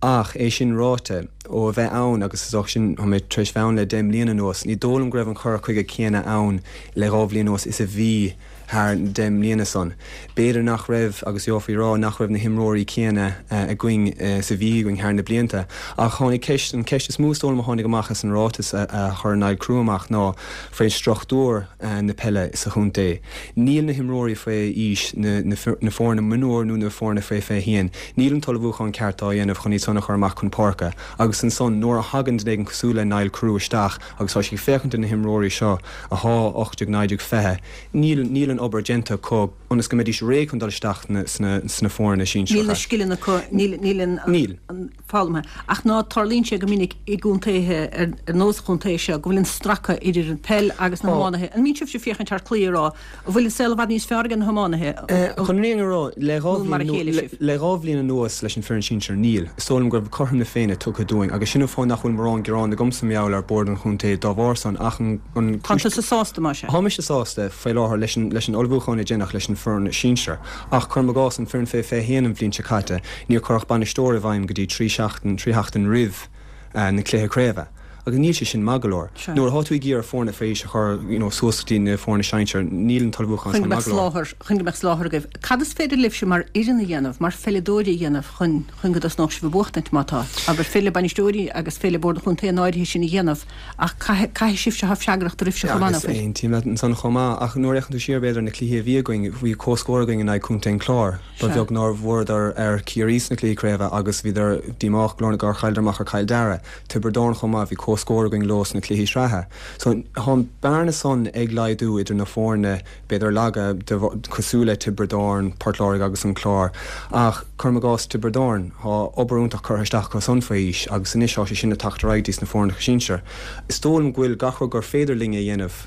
Ach é sin ráite ó a bheith ann agus is dócha sin tá mé tar éis bheith ann le deich mbliana anuas, ní dóigh liom go raibh an cur chuige céanna ann le dhá bhliain anuas is a bhí thar na deich mbliana san. B'fhéidir nach raibh, agus gheofaí rá, nach raibh na himreoirí céanna againn is a bhí againn thar na blianta. Ach tháinig ceist, an ceist is mó is dóigh liom a tháinig amach as an ráiteas a chuir Niall Carew amach ná faoi struchtúr na peile sa chontae. Níl na himreoirí faoi aois, na foirne mionúir nó na foirne faoi fiche haon, níl an t-ullmhúchán ceart á dhéanamh chun iad san a chur amach chun páirce. Agus ansan nuair a thagann duine éigin cosúil le Niall Carew isteach agus tá sé ag féachaint ar na himreoirí seo athá ocht déag, naoi déag, fiche, níl, níl an obair déanta acu ionas go mbeidís réidh chun dul isteach sna foirne sinsearacha. Níl na scileanna acu, níl, níl an, Níl. an foghlamtha. Ach ná tarlaíonn sé go minic i gcontaetha ar, ar nós an chontae seo go bhfuil an stracadh idir an peil agus na hiománaithe. An mbíonn sibhse ag féachaint thar claí ag rá, an bhfuil an saol i bhfad níos fearr ag na hiománaithe? Chun an fhírinne a rá, le dhá Nó mar a bhliain, chéile le, sibh? le dhá bhliain anuas leis an foireann sinsir, níl. Is dóigh liom go raibh cothrom na Féinne tugtha dúinn agus sin an fáth nach bhfuil mórán gearán agamsa mar gheall ar Bhord an Chontae dá bharr san ach an, an Tá tusa sásta, más ea? Tá mise sásta faoi láthair leis an, leis an ullmhúchán a deineadh leis an foireann sinsir ach cuirim i gcás an foireann fé fiche haon an bhliain seo caite, níor cuireadh bainisteoir i bhfeidhm go dtí trí seachtain, trí sheachtain roimh na cluiche craoibhe agus níl sé sin maith go leor. Sea. Nuair atá tú ag iarraidh foirne faoi aois a chur you know, suas go dtí na foirne sinsir, níl an t-ullmhúchán Chun san go mbeadh maith go leor. soláthar, chun go mbeadh soláthar agaibh. Cad is féidir libhse mar fhoireann a dhéanamh, mar pheileadóirí a dhéanamh chun, chun go dtosnódh sibh ag buachtaint má tá? Abair, féidir le bainisteoirí agus féidir le Bord an Chontae an áirithe sin a dhéanamh ach caithfidh, caithfidh sibhse, tá freagracht oraibhse chomh maith, Agus nach bhfuil? aontaím leat ansan chomh maith, ach nuair a fhéachann tú siar b'fhéidir ar na cluichí a bhí againn, bhí comhscór againn in aghaidh Contae an Chláir. Ba Sea. bheag nár bhuadar ar Chiarraí sna cluichí craoibhe agus bhíodar díomách go leor gur chailleadar amach ar Chill Dara. Tiobraid Árann chomh maith, bhí comhscór againn leo sna cluichí sraithe. So tá an bearna san ag laghdú idir na foirne b'fhéidir laga de cosúil le Tiobraid Árann, Port Láirge agus an Clár. Ach cuirim i gcás Tiobraid Árann, tá obair iontach curtha isteach acu san faoi aois agus anois tá sé sin ag teacht ar aghaidh dtí sna foirne sinsir. Is dóigh liom go bhfuil gach rud gur féidir linn a dhéanamh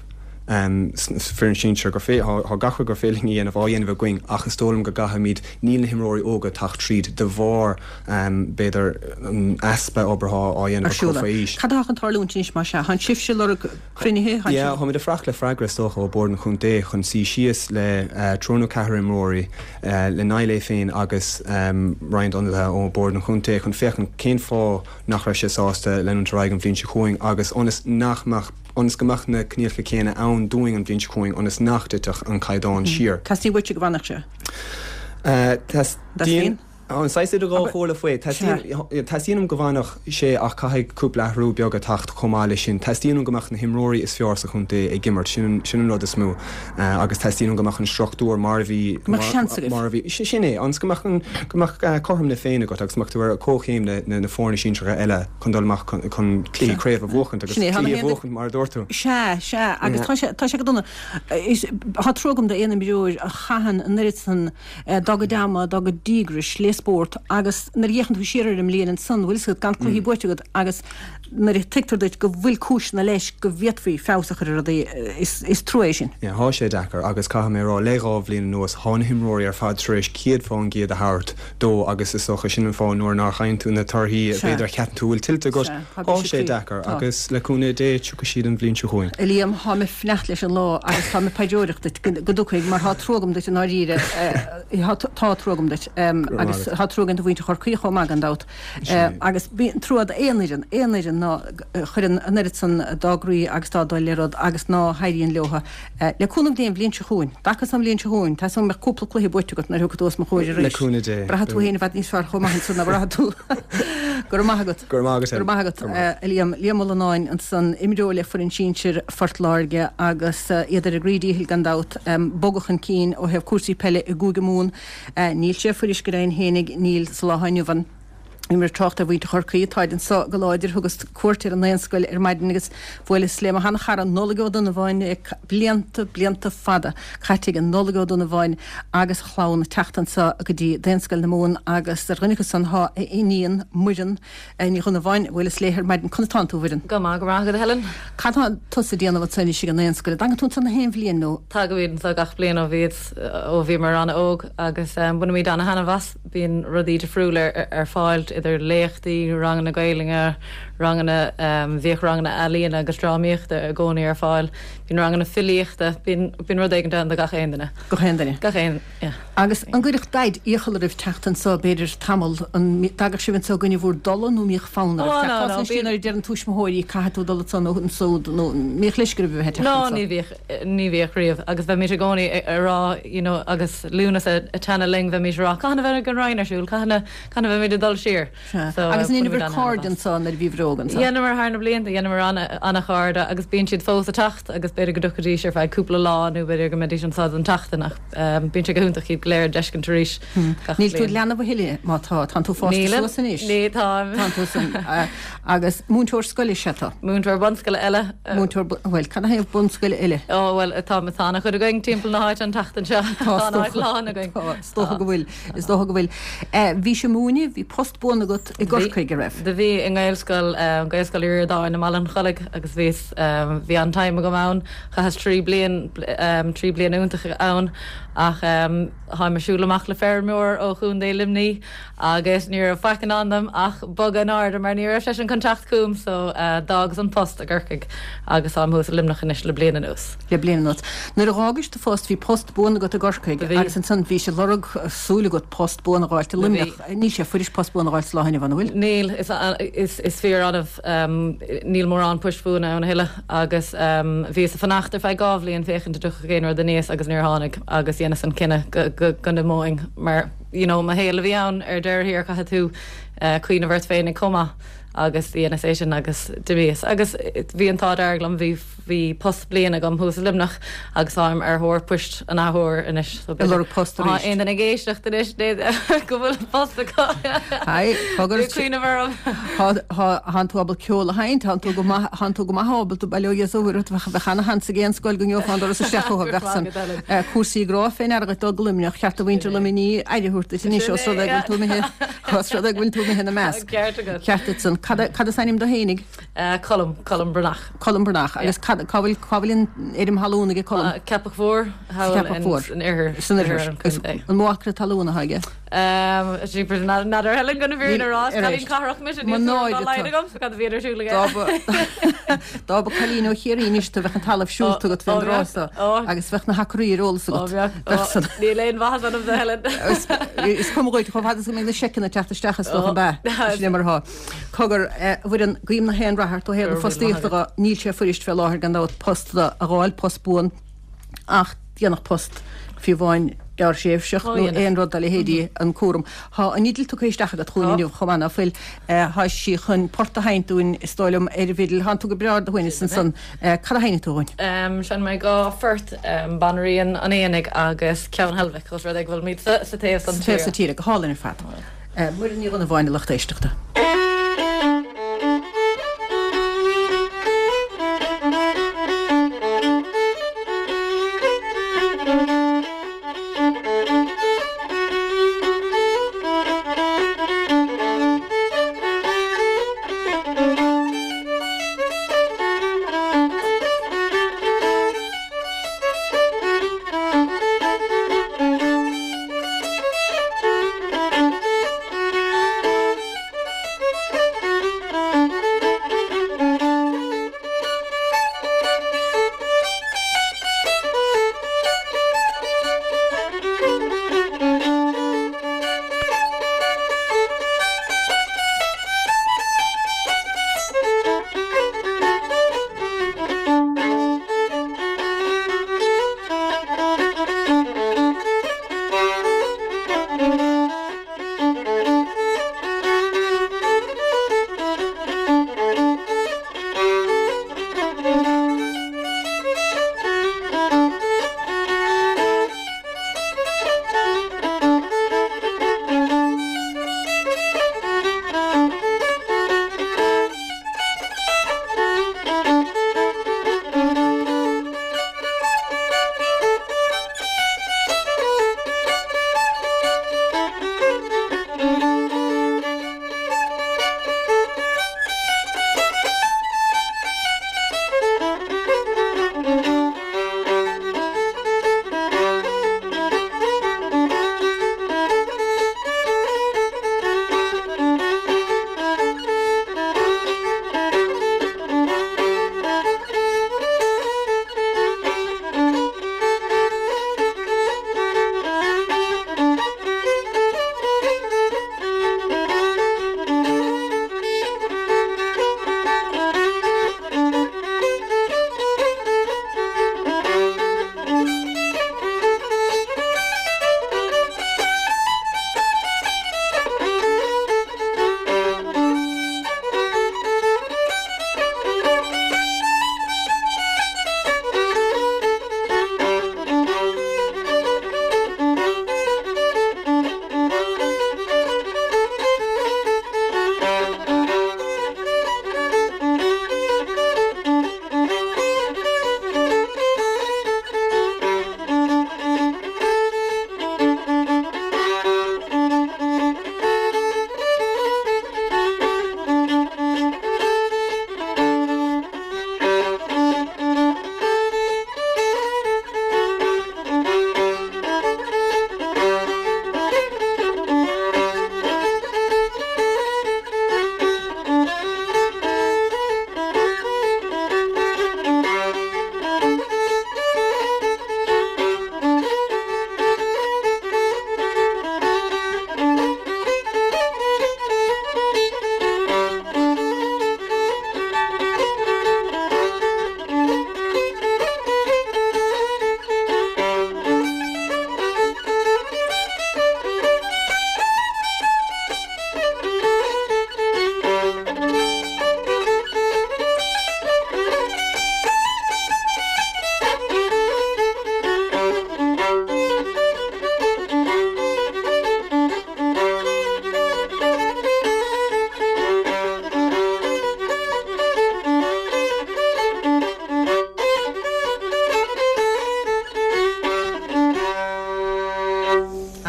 um, foireann sinsir gur fé tá gach rud gur féidir linn a dhéanamh á dhéanamh againn ach is dóigh liom go gcaithfimid níl na himreoirí óga teacht tríd de bharr um, b'fhéidir an easpa obair atá á dhéanamh Ar acu siúl. faoi aois. Cad atá chun tarlúint anois mar sin? Tá sibhse ag lorg cruinnithe? Tá Yeah, sibh- Táimid ag fanacht le freagra is dócha ó Bhord an Chontae chun suí síos le uh, triúr nó ceathrar imreoirí uh, le Niall é féin agus um, roinnt ionadaithe ó Bhord an Chontae chun féachaint cén fáth nach raibh sé sásta leanúint ar aghaidh an bhliain seo chugainn agus ionas nach mbeadh ionas go mbeadh na coinníollacha céanna ann dúinn an bhliain seo chugainn ionas nach dtitfeadh an caighdeán siar. Teastaíonn uait go bhfanfadh sé. Uh, Teastaíonn An saghas idir dhá Abair- chomhairle faoi Teastaíonn go bhfanfadh sé ach caithfidh cúpla athrú beag a theacht chomh maith leis sin. Teastaíonn go mbeadh na himreoirí is fearr sa chontae ag imirt sin sin an rud is mó uh, agus teastaíonn go mbeadh an struchtúr mar a bhí Go mbeadh seans agaibh. mar a bhí sin sin é ionas go mbeadh an- go mbeadh uh, cothrom na Féinne agat agus mbeadh tú ar comhchéim na, na, na foirne sinsearacha eile chun dul amach chun, chun cluichí craoibhe a bhuachaint agus Sin é, tá na cluichí a haon- bhuachaint mar a dúirt tú. Sea, sea, agus tá sé tá sé go dona. Is tá trua agam d'aon imreoir a chaitheann an oiread san eh, dá gcuid ama, dá gcuid díograis le spórt agus nuair a fhéachann tú siar ar an mbliain ansan bhfuil siad gan cluichí buaite agat agus nuair a tuigtear duit go bhfuil cúiseanna leis go bhféadfaí feabhas a chur ar rudaí eh, is is trua é sin. Yeah, Tá sé deacair agus caithfidh mé rá le dhá bhliain anuas tá na himreoirí ar fad tar éis céad faoin gcéad a thabhairt dó agus is dócha sin an fáth nuair nár chaith tú na torthaí Sea. b'fhéidir cheapann tú bhfuil tuillte agat Sea, tá Tá sé sé croí. deacair Tá. agus le cúnamh Dé tiocfaidh siad an bhliain seo chugainn. A Liam tá mé ag fanacht leis an lá agus tá mé ag paidreoireacht duit go go dtiocfaidh mar tá trua agam duit i ndáiríre eh, tá trua agam duit em, Go raibh agus maith agat. tá trua agam do mhuintir Chorcaí chomh maith gan dabht. Sin é. Agus bíonn trua d'aon fhoireann aon fhoireann ná chuireann an oiread san dá gcroí agus dá dtoil le rud agus ná héiríonn leo. Le cúnamh Dé an bhliain seo chugainn, dachas an bhliain seo chugainn, tá san mbeadh cúpla cluiche buaite agat nuair a thiocfaidh tú os mo chomhair Le arís. cúnamh Dé. Braithfidh tú féin i bhfad níos fearr chomh maith ansan ná braithfidh tú. Go raibh maith agat. Go raibh maith agat. Go raibh maith agat. Go raibh maith. Eh, Liam Liam Ó Lonáin ansan imreoir le foireann sinsir Phort Láirge agus eh, iad ar a gcroí díchill gan dabht um, bogadh chun cinn ó thaobh cúrsaí peile i gCúige Mumhan. Uh, níl sé fuiris go réin hénig níl sa lá inniu ann. Bhíomar ag trácht ar mhuintir Chorcaí, táid anso go láidir, thugas cuairt ar an nDaonscoil ar maidin agus bhuaileas le mo sheana-chara Nollaig Ó Donnabháin, blianta, blianta fada caite ag Nollaig Ó Donnabháin agus a chlann ag teacht anso go dtí Daonscoil na Mumhan agus ar dhuine acu san thá a iníon, Muireann Ní Dhonnabháin, bhuaileas léi ar maidin. Conas tánn tú, a Mhuireann? Go maith, go raibh maith agat, a Helen. Cad tá tusa ag déanamh anso anois ag an nDaonscoil? An dtagann tú anso na haon bhliain nó? Tagaimid anso gach bliain ó bhíos, ó bhíomar an-óg agus bainimid ana-thaitneamh as. Bíonn rudaí difriúla ar fáil idir léachtaí, ranganna Gaelainne, ranganna, bhíodh ranganna ealaíona agus drámaíochta i gcónaí ar fáil, bíonn ranganna filíochta, bíonn, bíonn rud éigin ann do gach aon duine. Gach aon duine. Gach aon, yeah. Agus an gcuireadh Daid iachall oraibh teacht anso, b'fhéidir, tamall, an dtagadh sibh anso i gcoinne bhur dtola nó mbíodh fonn oraibh teacht? Tá san nuair a deireann tuismitheoirí caithfidh tú dul anso nó ansúd nó mbíodh leisce oraibh a bheith ag teacht anso? No, ní bhíodh, ní bhíodh riamh agus bheimís i gcónaí ag rá, you know, agus Lúnasa ag teannadh linn, bheimís ag rá, cathain a bheidh an Rinn ar siúl, cathain a, cathain a bheimid ag dul siar? Sea. So, Agus an ndeineabhair cairde anso nuair a bhíobhair óg anso? Dheineamar thar na blianta, dheineamar ana, ana-chairde agus bíonn siad fós ag teacht agus b'fhéidir go dtiocfaidís ar feadh cúpla lá nó b'fhéidir go mbeidís anso don tseachtain ach bíonn sé go hiontach iad go léir a d'fheiscint arís gach Níl tú id leanbh a thuilleadh má tá, tánn tú fásta Nílim, suas anois. ní, táim. Tánn tú san, agus múinteoir scoile is ea tú? Múinteoir bunscoile eile. Múinteoir, bhuel, cad a thaobh bunscoile eile? Ó, bhuel, tá, tá ana-chuid againn timpeall na háite an tseachtain seo. Tá, Tá an áit lán againn. Tá, is dócha go bhfuil, is dócha go bhfuil. Bhís ag múineadh, bhí post buan agat i gCorcaigh, an raibh? Do bhí i nGaelscoil, Gaelscoil Uí Ríordáin i mBaile an Chollaigh agus bhíos, bhí an-time agam ann. Chaitheas trí bliain, trí bliana iontacha ann ach táim ag siúl amach le feirmeoir ó Chontae Luimnigh agus ní raibh faic i ndán dom ach bogadh in airde mar ní raibh seisean chun teacht chugam so d'fhágas an post i gCorcaigh agus táim thuas i Luimneach anois le bliain anuas. Le bliain anuas. Nuair a dh'fhágais do phost bhí post buan agat i gCorcaigh agus ansan bhís ag lorg súil agat post buan a dh'fháilt i Luimneach. Níl sé fuirist post buan a dh'fháilt sa lá inniu, an bhfuil? Níl, is is is fíor annamh, níl mórán poist bhuana ann a thuilleadh agus bhíos ag fanacht ar feadh dhá bhliain féachaint an dtiocfadh aon rud aníos agus níor tháinig agus dheineas an cinneadh go go go n-imeoinn mar you know mo shaol a bhí ann ar deireadh thiar caithfidh tú cuimhneamh ort féinig chomh maith agus dheineas é sin agus d'imíos agus bhí an t-ádh dearg liom bhí bhí post bliain agam thuas i Luimneach agus táim ar thóir poist an athuair anois so Ag lorg post arís. Tá aon duine ag éisteacht anois go bhfuil post acu Haigh, cogar Bí ag cuimhneamh orm. Thánn tú ábalta ceol a sheinnt, thánn tú go maith, thánn tú go maith ábalta bail ó Dhia is ó Mhuire ort, bheadh ana-sheans ag aon scoil go ngeofá an doras isteach chucu, bheadh san. Cúrsaí grá fé ndeara dhuit dul go Luimneach, cheart do mhuintir Luimnigh aire a thabhairt duit anois os rud é go bhfuil tú imithe, os rud é go bhfuil tú imithe ina measc. Ceart agat. Ceart duit san. Cad, cad is ainm do fhéinig? Colm, Colm Breathnach. Colm Breathnach. Agus cad, cá bhfuil, cá bhfuil an fheirm thalún aige Colm? Ceapach Mhór, thall Ceapach Mhór. san oirthear. San oirthear. Agus an mó acra talún atá aige? Jeepers, n'fheadar Helen chun na fírinne a rá, is cailín cathrach mise, níl tuairim dá laghad agam, so cad a bhíonn ar siúl aige? Dá ba, dá ba cailín ó Chiarraí anois tú, bheadh an talamh siúlta agat fén dtráth so, agus bheadh na hacraí ar eolas agat. Ó bheadh, Bheadh san. Níl aon mhaitheas ionamsa Helen. Is cuma dhuit, chomh fada is go mbeidh na seiceanna ag teacht isteach is dócha, ab ea? Sin é mar atá. Cogar, a Mhuireann, guím na haon rath ort ó thaobh na fostaíochta dhe, níl sé fuirist fé láthair gan dabht post a dh'fháil, post buan, ach dhéanfadh post, fiú amháin gearrthréimhseach nó aon rud dá leithéidí, an cúram. Tá an fhidil tugtha isteach agat chugainn inniu chomh maith, ná fuil? Tá sí chun port a sheinnt dúinn, is dóigh liom, ar an bhfidil. Tánn tú go breá ar do shuaimhneas ansan. Cad a sheinnfidh tú dhúinn? Seinnfidh mé dhá phort, Banríon an Aonaigh agus Ceann Heilbhic, os rud é go bhfuilimid sa taobh san tíre. Sa taobh san tíre. Go hálainn ar fad. Muireann Ní Dhonnabháin, a lucht éisteachta.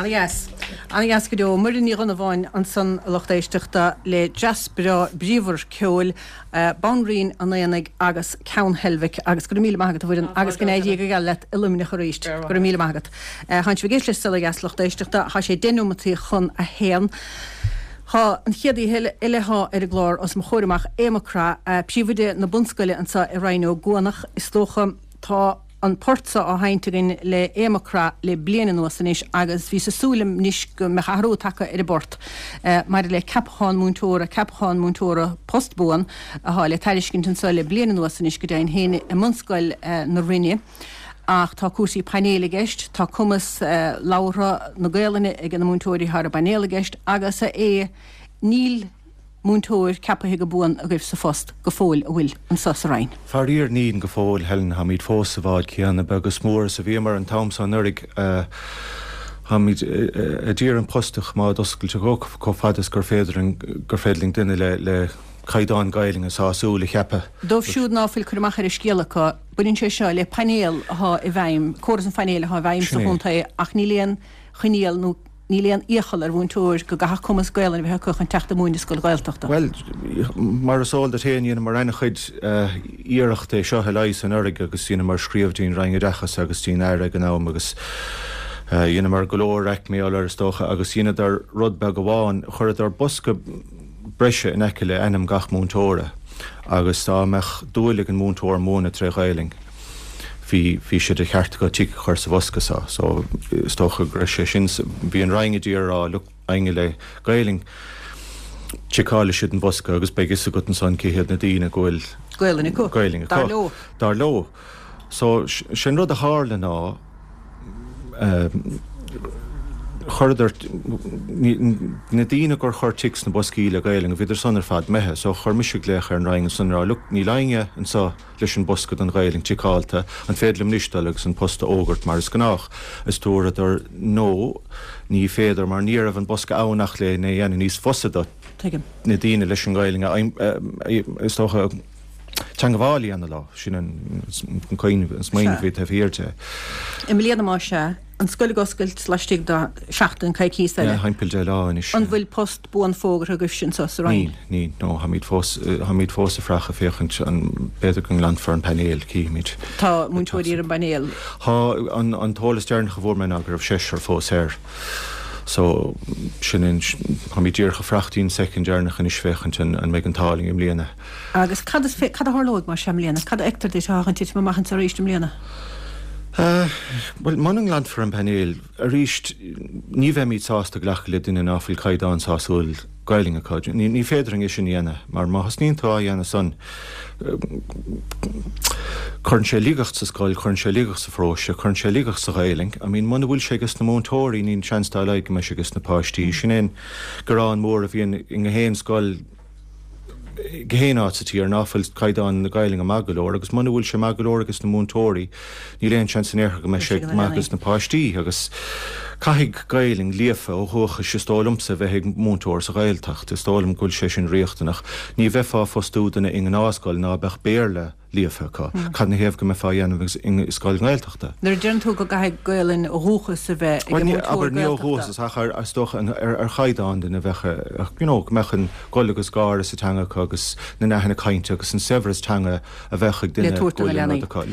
Ana-dheas. Ana-dheas go deo. Muireann Ní Dhonnabháin ansan a lucht éisteachta le dreas breá bríomhar ceoil, Banríon an Aonaigh agus Ceann Heilbhic agus go raibh míle maith agat a Mhuireann agus go n-éirí go geal leat i Luimneach arís. Go raibh míle maith agat. Tánn sibh ag éisteacht le Saol Ó Dheas lucht éisteachta, tá sé deich nóimeataí chun a haon. Tá an chéad aoi eile atá ar an gclár os mo chomhair amach, Aodh Mac Craith, príomhoide na bunscoile anseo i Rinn Ó gCuanach. Is dócha tá an port seo á sheinnt againn le Aodh Mac Craith le bliain anuas anois agus bhíos ag súil anois go mbeadh athrú tagtha ar an bport maidir le ceapachán múinteora, ceapachán múinteora post buan atá le tairiscint anseo le bliain anuas anois go deimhin féin i mBunscoil na Rinne. Ach tá cúrsaí painéil i gceist, tá cumas labhartha na Gaelainne ag na múinteoirí atá ar an bpainéal i gceist agus a Aodh, níl múinteoir ceapaithe go buan agaibh sa phost go fóill, an bhfuil, anseo sa Rinn? Faraor níl go fóill, Helen, táimid fós sa bhád céanna, beag is mór is a bhíomar an t-am so anuraidh. Táimid a d'iarraidh an post a choimeád oscailte chomh fada is gur féidir gur féidir linn duine le caighdeán Gaelainne sásúil a cheapadh. Dóibh siúd ná fuil cur amach ar an scéal acu, baineann sé seo le painéal atá i bhfeidhm, córas an phainéil atá i bhfeidhm sa chontae ach níl aon choinníoll nó níl aon iachall ar mhúinteoir go gcaithfeadh cumas Gaelainne a bheith acu chun teacht ag múineadh i scoil Ghaeltachta. Bhuel, mar is eol duit féin, dheineamar an-chuid iarracht é seo a leigheas anuraidh agus dheineamar scríobh dtí'n Roinn Oideachais agus dtí'n Aire ag an am agus dheineamar go leor raic-méáil air is dócha agus dheineadar rud beag amháin, chuireadar bosca breise in aice le ainm gach múinteora agus dá mbeadh dúil ag an múinteoir múineadh tré Ghaelainn bhí bhí sé de cheart acu tic a chur sa bhosca so. So is dócha go raibh sé sin bhí an Roinn ag iarraidh a rá look éinne le Gaelainn ticeálfaidh siad an bosca agus beidh fhios agat ansan cé hiad na daoine go bhfuil Gaelainn acu. Gaelainn acu. Dar leo. Dar leo. So sé'n rud a tharla ná chuireadar, na daoine gur chuir tic sna boscaí le Gaelainn, bhíodar san ar fad imithe. So chuir mise glaoch ar an Roinn ansan a rá, look, níl éinne anso leis an bosca don Ghaelainn ticeáilte, an féidir liom anois dul agus an post a fhógairt mar is gnách? Is dúradar, no, ní féidir mar ní raibh an bosca ann ach le é dhéanamh níos fusa do na daoine leis an nGaelainn a, is dócha, teangabháil a dhéanamh leo. Sin an smaoineamh a bhí taobh thiar de. I mbliana más ea, an scoil ag oscailt laistigh de sheachtain, coicíos eile. Yeah, timpeall deich lá anois. An bhfuil post buan fógartha agaibhse anseo sa Rinn? Níl, níl, no, táimid fós, táimid fós ag fraiche féachaint an, b'fhéidir go nglanfar an painéal, cífimid. Tá múinteoirí ar an bpainéal? Tá, an, an t-eolas deireanach a fuair mé ná go raibh seisear fós air. So, sin an, táimid díreach ag fraiche dtí'n soicind deireanach anois féachaint an, an mbeidh an t-ádh linn i mbliana. Agus cad is, cad a tharlóidh mar sin i mbliana? Cad a fheictear duit atá chun titim amach anseo arís i mbliana? Bhuel, muna nglanfar an painéal, arís, ní bheimid sásta glacadh le duine ná fuil caighdeán sásúil Gaelainne acu. Ní féidir linn é sin a dhéanamh, mar má thosnaíonn tú á dhéanamh san, cuireann sé laigeacht sa scoil, cuireann sé laigeacht sa pharóiste, cuireann sé laigeacht sa Ghaelainn. I mean, muna bhfuil sé ages na múinteoirí, níl seans dá laghad go mbeidh sé ages na páistí. Sin é an gearán mór a bhíonn i ngach aon scoil, gach aon áit sa tír ná fuil caighdeán na Gaelainne maith go leor agus muna bhfuil sé maith go leor ages na múinteoirí níl aon seans in aon chor go mbeidh sé maith ages na páistí agus caithfidh Gaelainn líofa ó dhúchas is dóigh liomsa a bheith ag múinteoir sa Ghaeltacht. Is dóigh liom go bhfuil sé sin riachtanach. Ní bheifeá ag fostú duine i ngnáthscoil ná beadh Béarla líofa acu. Cad 'na thaobh go mbeifeá á dhéanamh i scoil nGaeltachta? Nuair a deireann tú go gcaithfidh Gaelainn ó dhúchas a bheith ag an múinteoir Gaeltachta. Abair, ní ó dhúchas ach ar, is dócha, ar chaighdeán duine a bheadh, you know, go mbeadh an gol agus gáire sa teanga acu agus na nathanna cainte agus an saibhreas teanga a bheadh ag duine go bhfuil an rud acu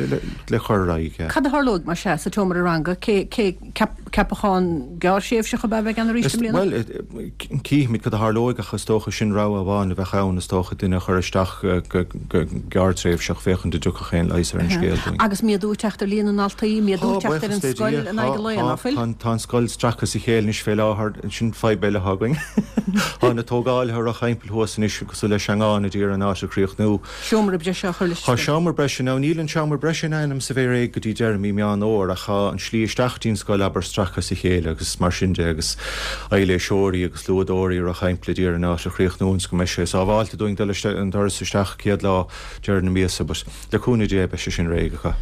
le cur ar aghaidh, yeah. Cad a tharlóidh, mar sea, sa tseomra ranga? Cé, cé, ceapachán gearrthréimhseach ab ea a bheidh ann arís i mbliana? Bhuel, cífimid cad a tharlóidh ach is dócha sin rogha amháin a bheadh ann, is dócha, duine a chur isteach go gearrtréimhseach féachaint an dtiocfadh aon leigheas ar an scéal dúinn. Agus méadú ag teacht ar líon na ndaltaí, méadú ag Tá, teacht ar buíochas an le scoil Dia, in aghaidh an lae, ná fuil? tá, tá an scoil stractha as a chéile anois fé láthair, sin fadhb eile atá againn. Tá na tógálaithe ag rith thimpeall thuas anois cosúil le seangáin a d'iarraidh an áit a chríochnú. Seomra breise á chur leis Tá seomra breise, now níl an seomra breise in ainm is a bheith réidh go dtí deireadh mí Meán Fhómhair ach tá an slí isteach dtí'n scoil abair stractha as a chéile agus mar sin de agus aibhléiseoirí agus luadóirí ag rith thimpeall a d'iarraidh an áit a chríochnú ionas go mbeidh sé sábháilte dúinn dul an doras isteach céad lá deireadh na míosa but le cúnamh Dé beidh sé sin réidh acu.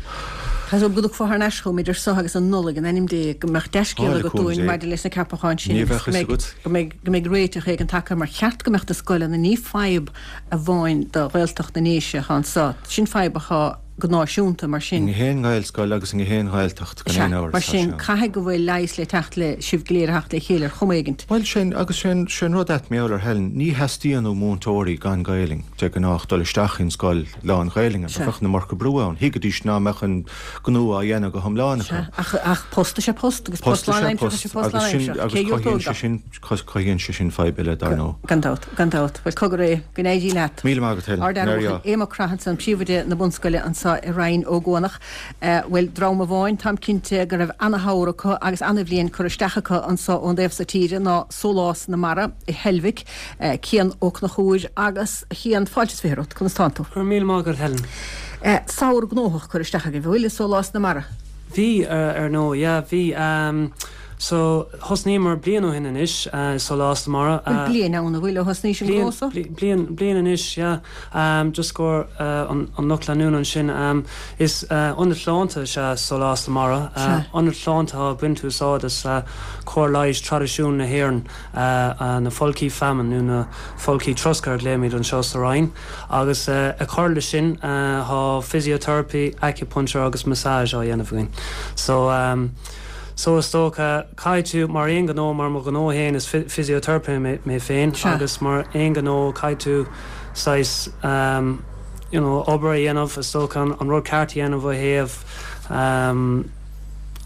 Tá súil go dtiocfá thar n-ais chugam idir seo agus an Nollaig, in ainm Dé, go mbeadh dea-scéal Á, le agat cúnamh dúinn Dé. maidir leis na ceapacháin sin Ní agus bheadh go fhios mbeidh, agat. go mbeidh, go mbeidh réiteach éigin tagtha mar cheart go mbeadh na scoileanna, ní fadhb amháin do Ghaeltacht na nDéise atá anseo, sin fadhb atá go náisiúnta mar sin. I ngach aon Ghaelscoil agus i ngach aon Ghaeltacht gan aon amhras. Mar sin caithfidh go bhfuil leigheas le teacht le sibh go léir a theacht le chéile ar chuma éigint. Bhuel sin agus sin sin rud at meall ar Helen, ní theastaíonn ó mhúinteoirí gan Gaelainn de ghnáth dul isteach in scoil lán Ghaelainne, bheadh an iomarca brú ann. Thuigfidís ná mbeadh an gnó á dhéanamh go hiomlán acu. Ach ach post is ea post agus post lánaimseartha is ea post lánaimseartha. Agus sin agus cothaíonn sé sin cothaíonn sé sin fadhb eile dar ndóigh. Gan dabht, gan dabht. Bhuel cogar é, go n-éirí leat. Míle maith agat Helen. Ard-Fhear Aodh Mac Craith ansan, príomhoide na bunscoile anseo i Rinn Ó gCuanach. Bhuel, dream amháin, táim cinnte go raibh ana-shamhradh acu agus ana-bhliain curtha isteach acu anseo ón dtaobh so tíre ná Sólás na Mara i Heilbhic, Cian Ó Conchúir agus a Chian, fáilte is fiche romhat, conas tánn tú? Go raibh míle maith agat Helen. Samhradh gnóthach curtha isteach agaibh, an bhfuil i Sólás na Mara? Bhí, ar ndóigh, yeah, bhí. So, thosnaíomar bliain ó shin anois i Sólás na Mara. Bhfuil bliain ann, an bhfuil, ó thosnaís an gnó so? Bliain, bliain anois, yeah. Just go an lucht leanúna ansin. Is ionad sláinte is ea Sólás na Mara. Ionad sláinte atá ag baint úsáid as cóir leighis traidisiún na hÉireann, na folcthaí feamainne nó na folcthaí troscaidh ar a ghlaoimid anseo sa Rinn. Agus ag cur leis sin tá physiotherapy, acupuncture agus massage á dhéanamh againn. So, So is dócha, caithfidh tú, mar aon ghnó, mar mo ghnó féin, is physiotherapy mé féin agus mar aon ghnó caithfidh tú saghas you know obair a dhéanamh, is dócha an rud ceart a dhéanamh ó thaobh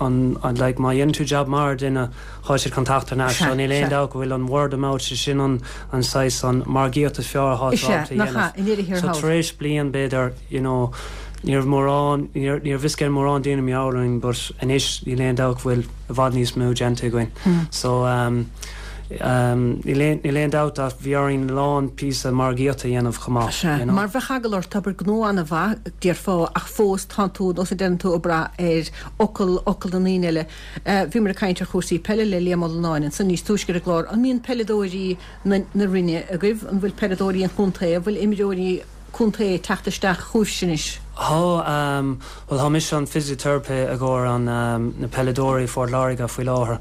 an, an like má dhéanann tú jab maith ar duine, tá siad chun teacht thar n-ais. So níl aon dabht go bhfuil an word of mouth, sé sin an an saghas an margaíocht is fearr atá tú ábalta a dhéanamh. So tar éis bliain b'fhéidir you know Ní raibh mórán, ní raibh fhios ag mórán daoine mar gheall orainn but anois níl aon dabht go bhfuil i bhfad níos mó déanta againn. So níl aon, níl aon dabht ach bhí orainn a lán píosa margaíochta a dhéanamh chomh maith, Sea, you know. mar bheadh eagal ort, obair gnó an-mhaith, déarfá, ach fós tánn tú, nós a deireann tú, ag brath ar fhocal, fhocal na ndaoine eile. Bhíomar ag caint ar chúrsaí peile le Liam Ó Lonáin ansan níos túisce ar an gclár. An mbíonn peileadóirí na, na Rinne agaibh? An bhfuil peileadóirí an chontae, an bhfuil imreoirí contae ag teacht isteach chugaibhse anois? Thá, bhuel thá mise an physiotherapy i gcomhair an na peileadóirí Phort Láirge faoi láthair.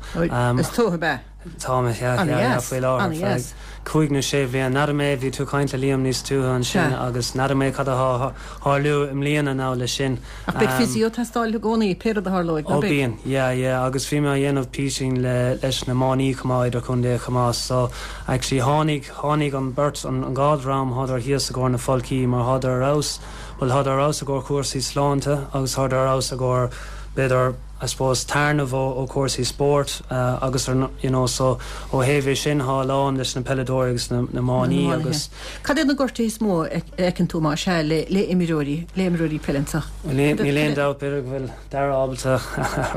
Is tú ab ea? Tá mé, yeah, yeah, yeah, faoi láthair feadh cúig nó sé bhliain. N'fheadar mé, bhí tú ag caint le Liam níos tuaithe ansin agus n'fheadar mé cad athá tharlú i mbliana now leis sin. Ach beidh physio ag teastáil i gcónaí, pé rud a tharlóidh, ná Ó beidh? bíonn, yeah, yeah, agus bhí mé á dhéanamh písín le leis na iománaí chomh maith idirchontae chomh maith so actually tháinig Tháinig an beirt, an dhá dhream, thádar thíos i gcomhair na folcthaí mar thádar ar fheabhas, bhuel thádar ar fheabhas i gcomhair cúrsaí sláinte agus thádar ar fheabhas i gcomhair b'fhéidir, I suppose, taitneamh ó ó chúrsaí spóirt agus ar you know so ó thaobh é sin thá a lán leis na peileadóirí agus na na iománaí agus. Cad iad na gortuithe is mó a fheiceann tú más ea le le imreoirí, le imreoirí peile anseo? Níl níl aon dabht b'fhéidir go bhfuil Dara ábalta a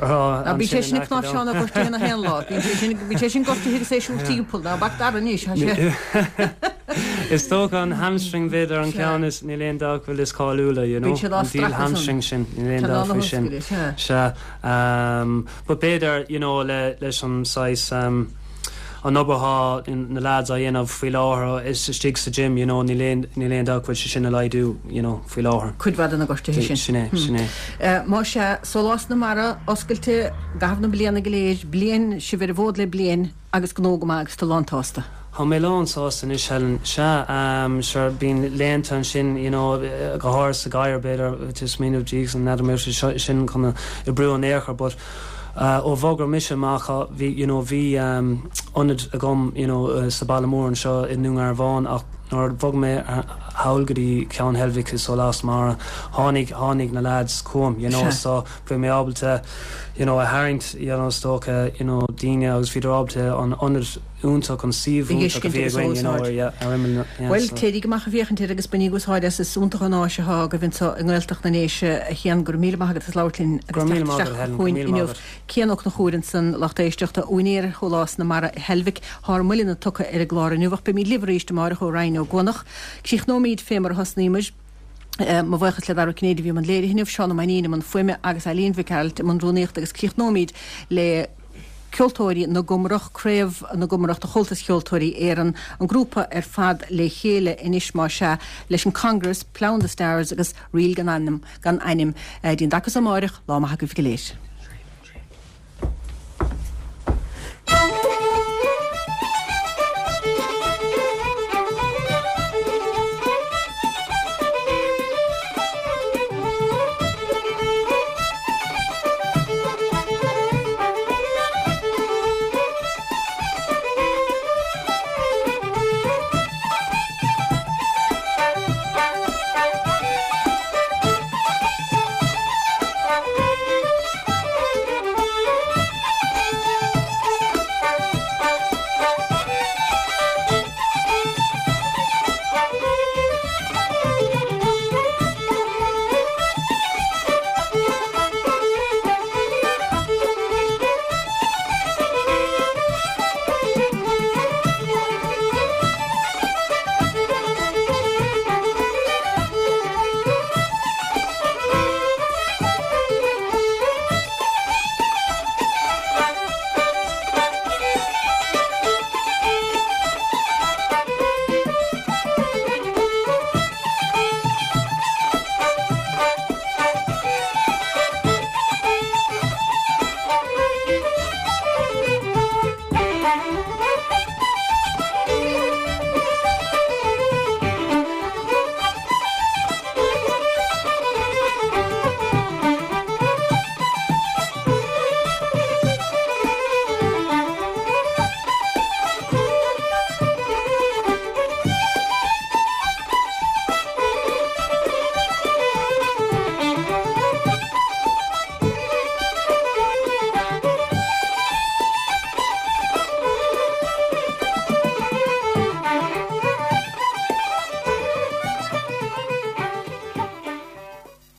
rá Ná bíonn sé ansin sin in ag aice liom. cnáimhseáil na gortuithe nach aon lá. Bíonn sé sin, bíonn sé sin gortaithe agus é ag siúl timpeall. Ná bac Dara anois, tá sé. Is dócha an hamstring b'fhéidir an ceann is, níl aon dabht go bhfuil is cáiliúla, you know, Bíonn siad á an díl stracadh san. hamstring sin, níl aon Tá dabht lán faoi sin. oscailte, sea. Sea. Um, but b'fhéidir, you know, le, leis an saghas, um, an obair thá na lads á dhéanamh faoi láthair is istigh sa gym, you know, níl aon, níl aon dabht go bhfuil sé sin a laghdú, you know, faoi láthair. Cuid mhaith de na gortuithe sin. Sin é, sin é. Más ea, Sólás na Mara, oscailte i gcaitheamh na bliana go léir, bliain, sibh ar an bhfód le bliain agus gnó go maith agus tú lán-tsásta. Tá mé lán-sásta anois, Helen. Sea, sure, bíonn laethanta ansin, you know, go háirithe sa gheimhreadh, b'fhéidir, tú ag smaoineamh, jeez, an n'fheadar mbeidh sé sin chun oibriú in aon chor, but ó bhog mise amach, bhí, you know, bhí ionad agam, you know, sa baile mór anseo i nDún Garbhán ach nuair a bhog mé thall go dtí ceann Heilbhic i Sólás Mara, tháinig, tháinig na lads chugam, you know, so bhí mé ábalta, you know, a tharraingt, you know, is dócha, you know, daoine agus bhíodar ábalta an ionad iontach, an suíomh iontach a bhí againn, you know, ar, yeah, ar imeall na, yeah, Bhuel, so. téiríg amach ag féachaint air agus bainíg úsáid as, is iontach an áis atá agaibh anseo i nGaeltacht na nDéise, a Chian, go raibh míle maith agat as labhairt linn Go agus raibh míle teacht maith agat, isteach Helen, go raibh chugainn míle maith inniu. agat. Cian Ó Conchúir ansan, lucht éisteachta, úinéir Shólás na Mara i Heilbhic, thá ár mbuille tugtha ar an gclár inniu ach beimid libh arís amáireach ó Rinn Ó gCuanach. Críochnóimid fé mar a thosnaíomar. Mo bhuíochas le Dara Ó Cinnéide a bhí i mbun léirithe inniu, Seán Ó Mainnín i mbun fuaime agus Eileen Mhic Gearailt i mbun rúnaíochta agus críochnóimid le Ceoltóirí na gComaraich, Craobh na gComarach de Chomhaltas Cheoltóirí Éireann, an grúpa ar fad le chéile anois más ea, leis an Congress, Ploughing the Stars agus Ríl gan Ainm, gan Ainm. Dtí'n dtaca so amáireach, lá maith agaibh go léir.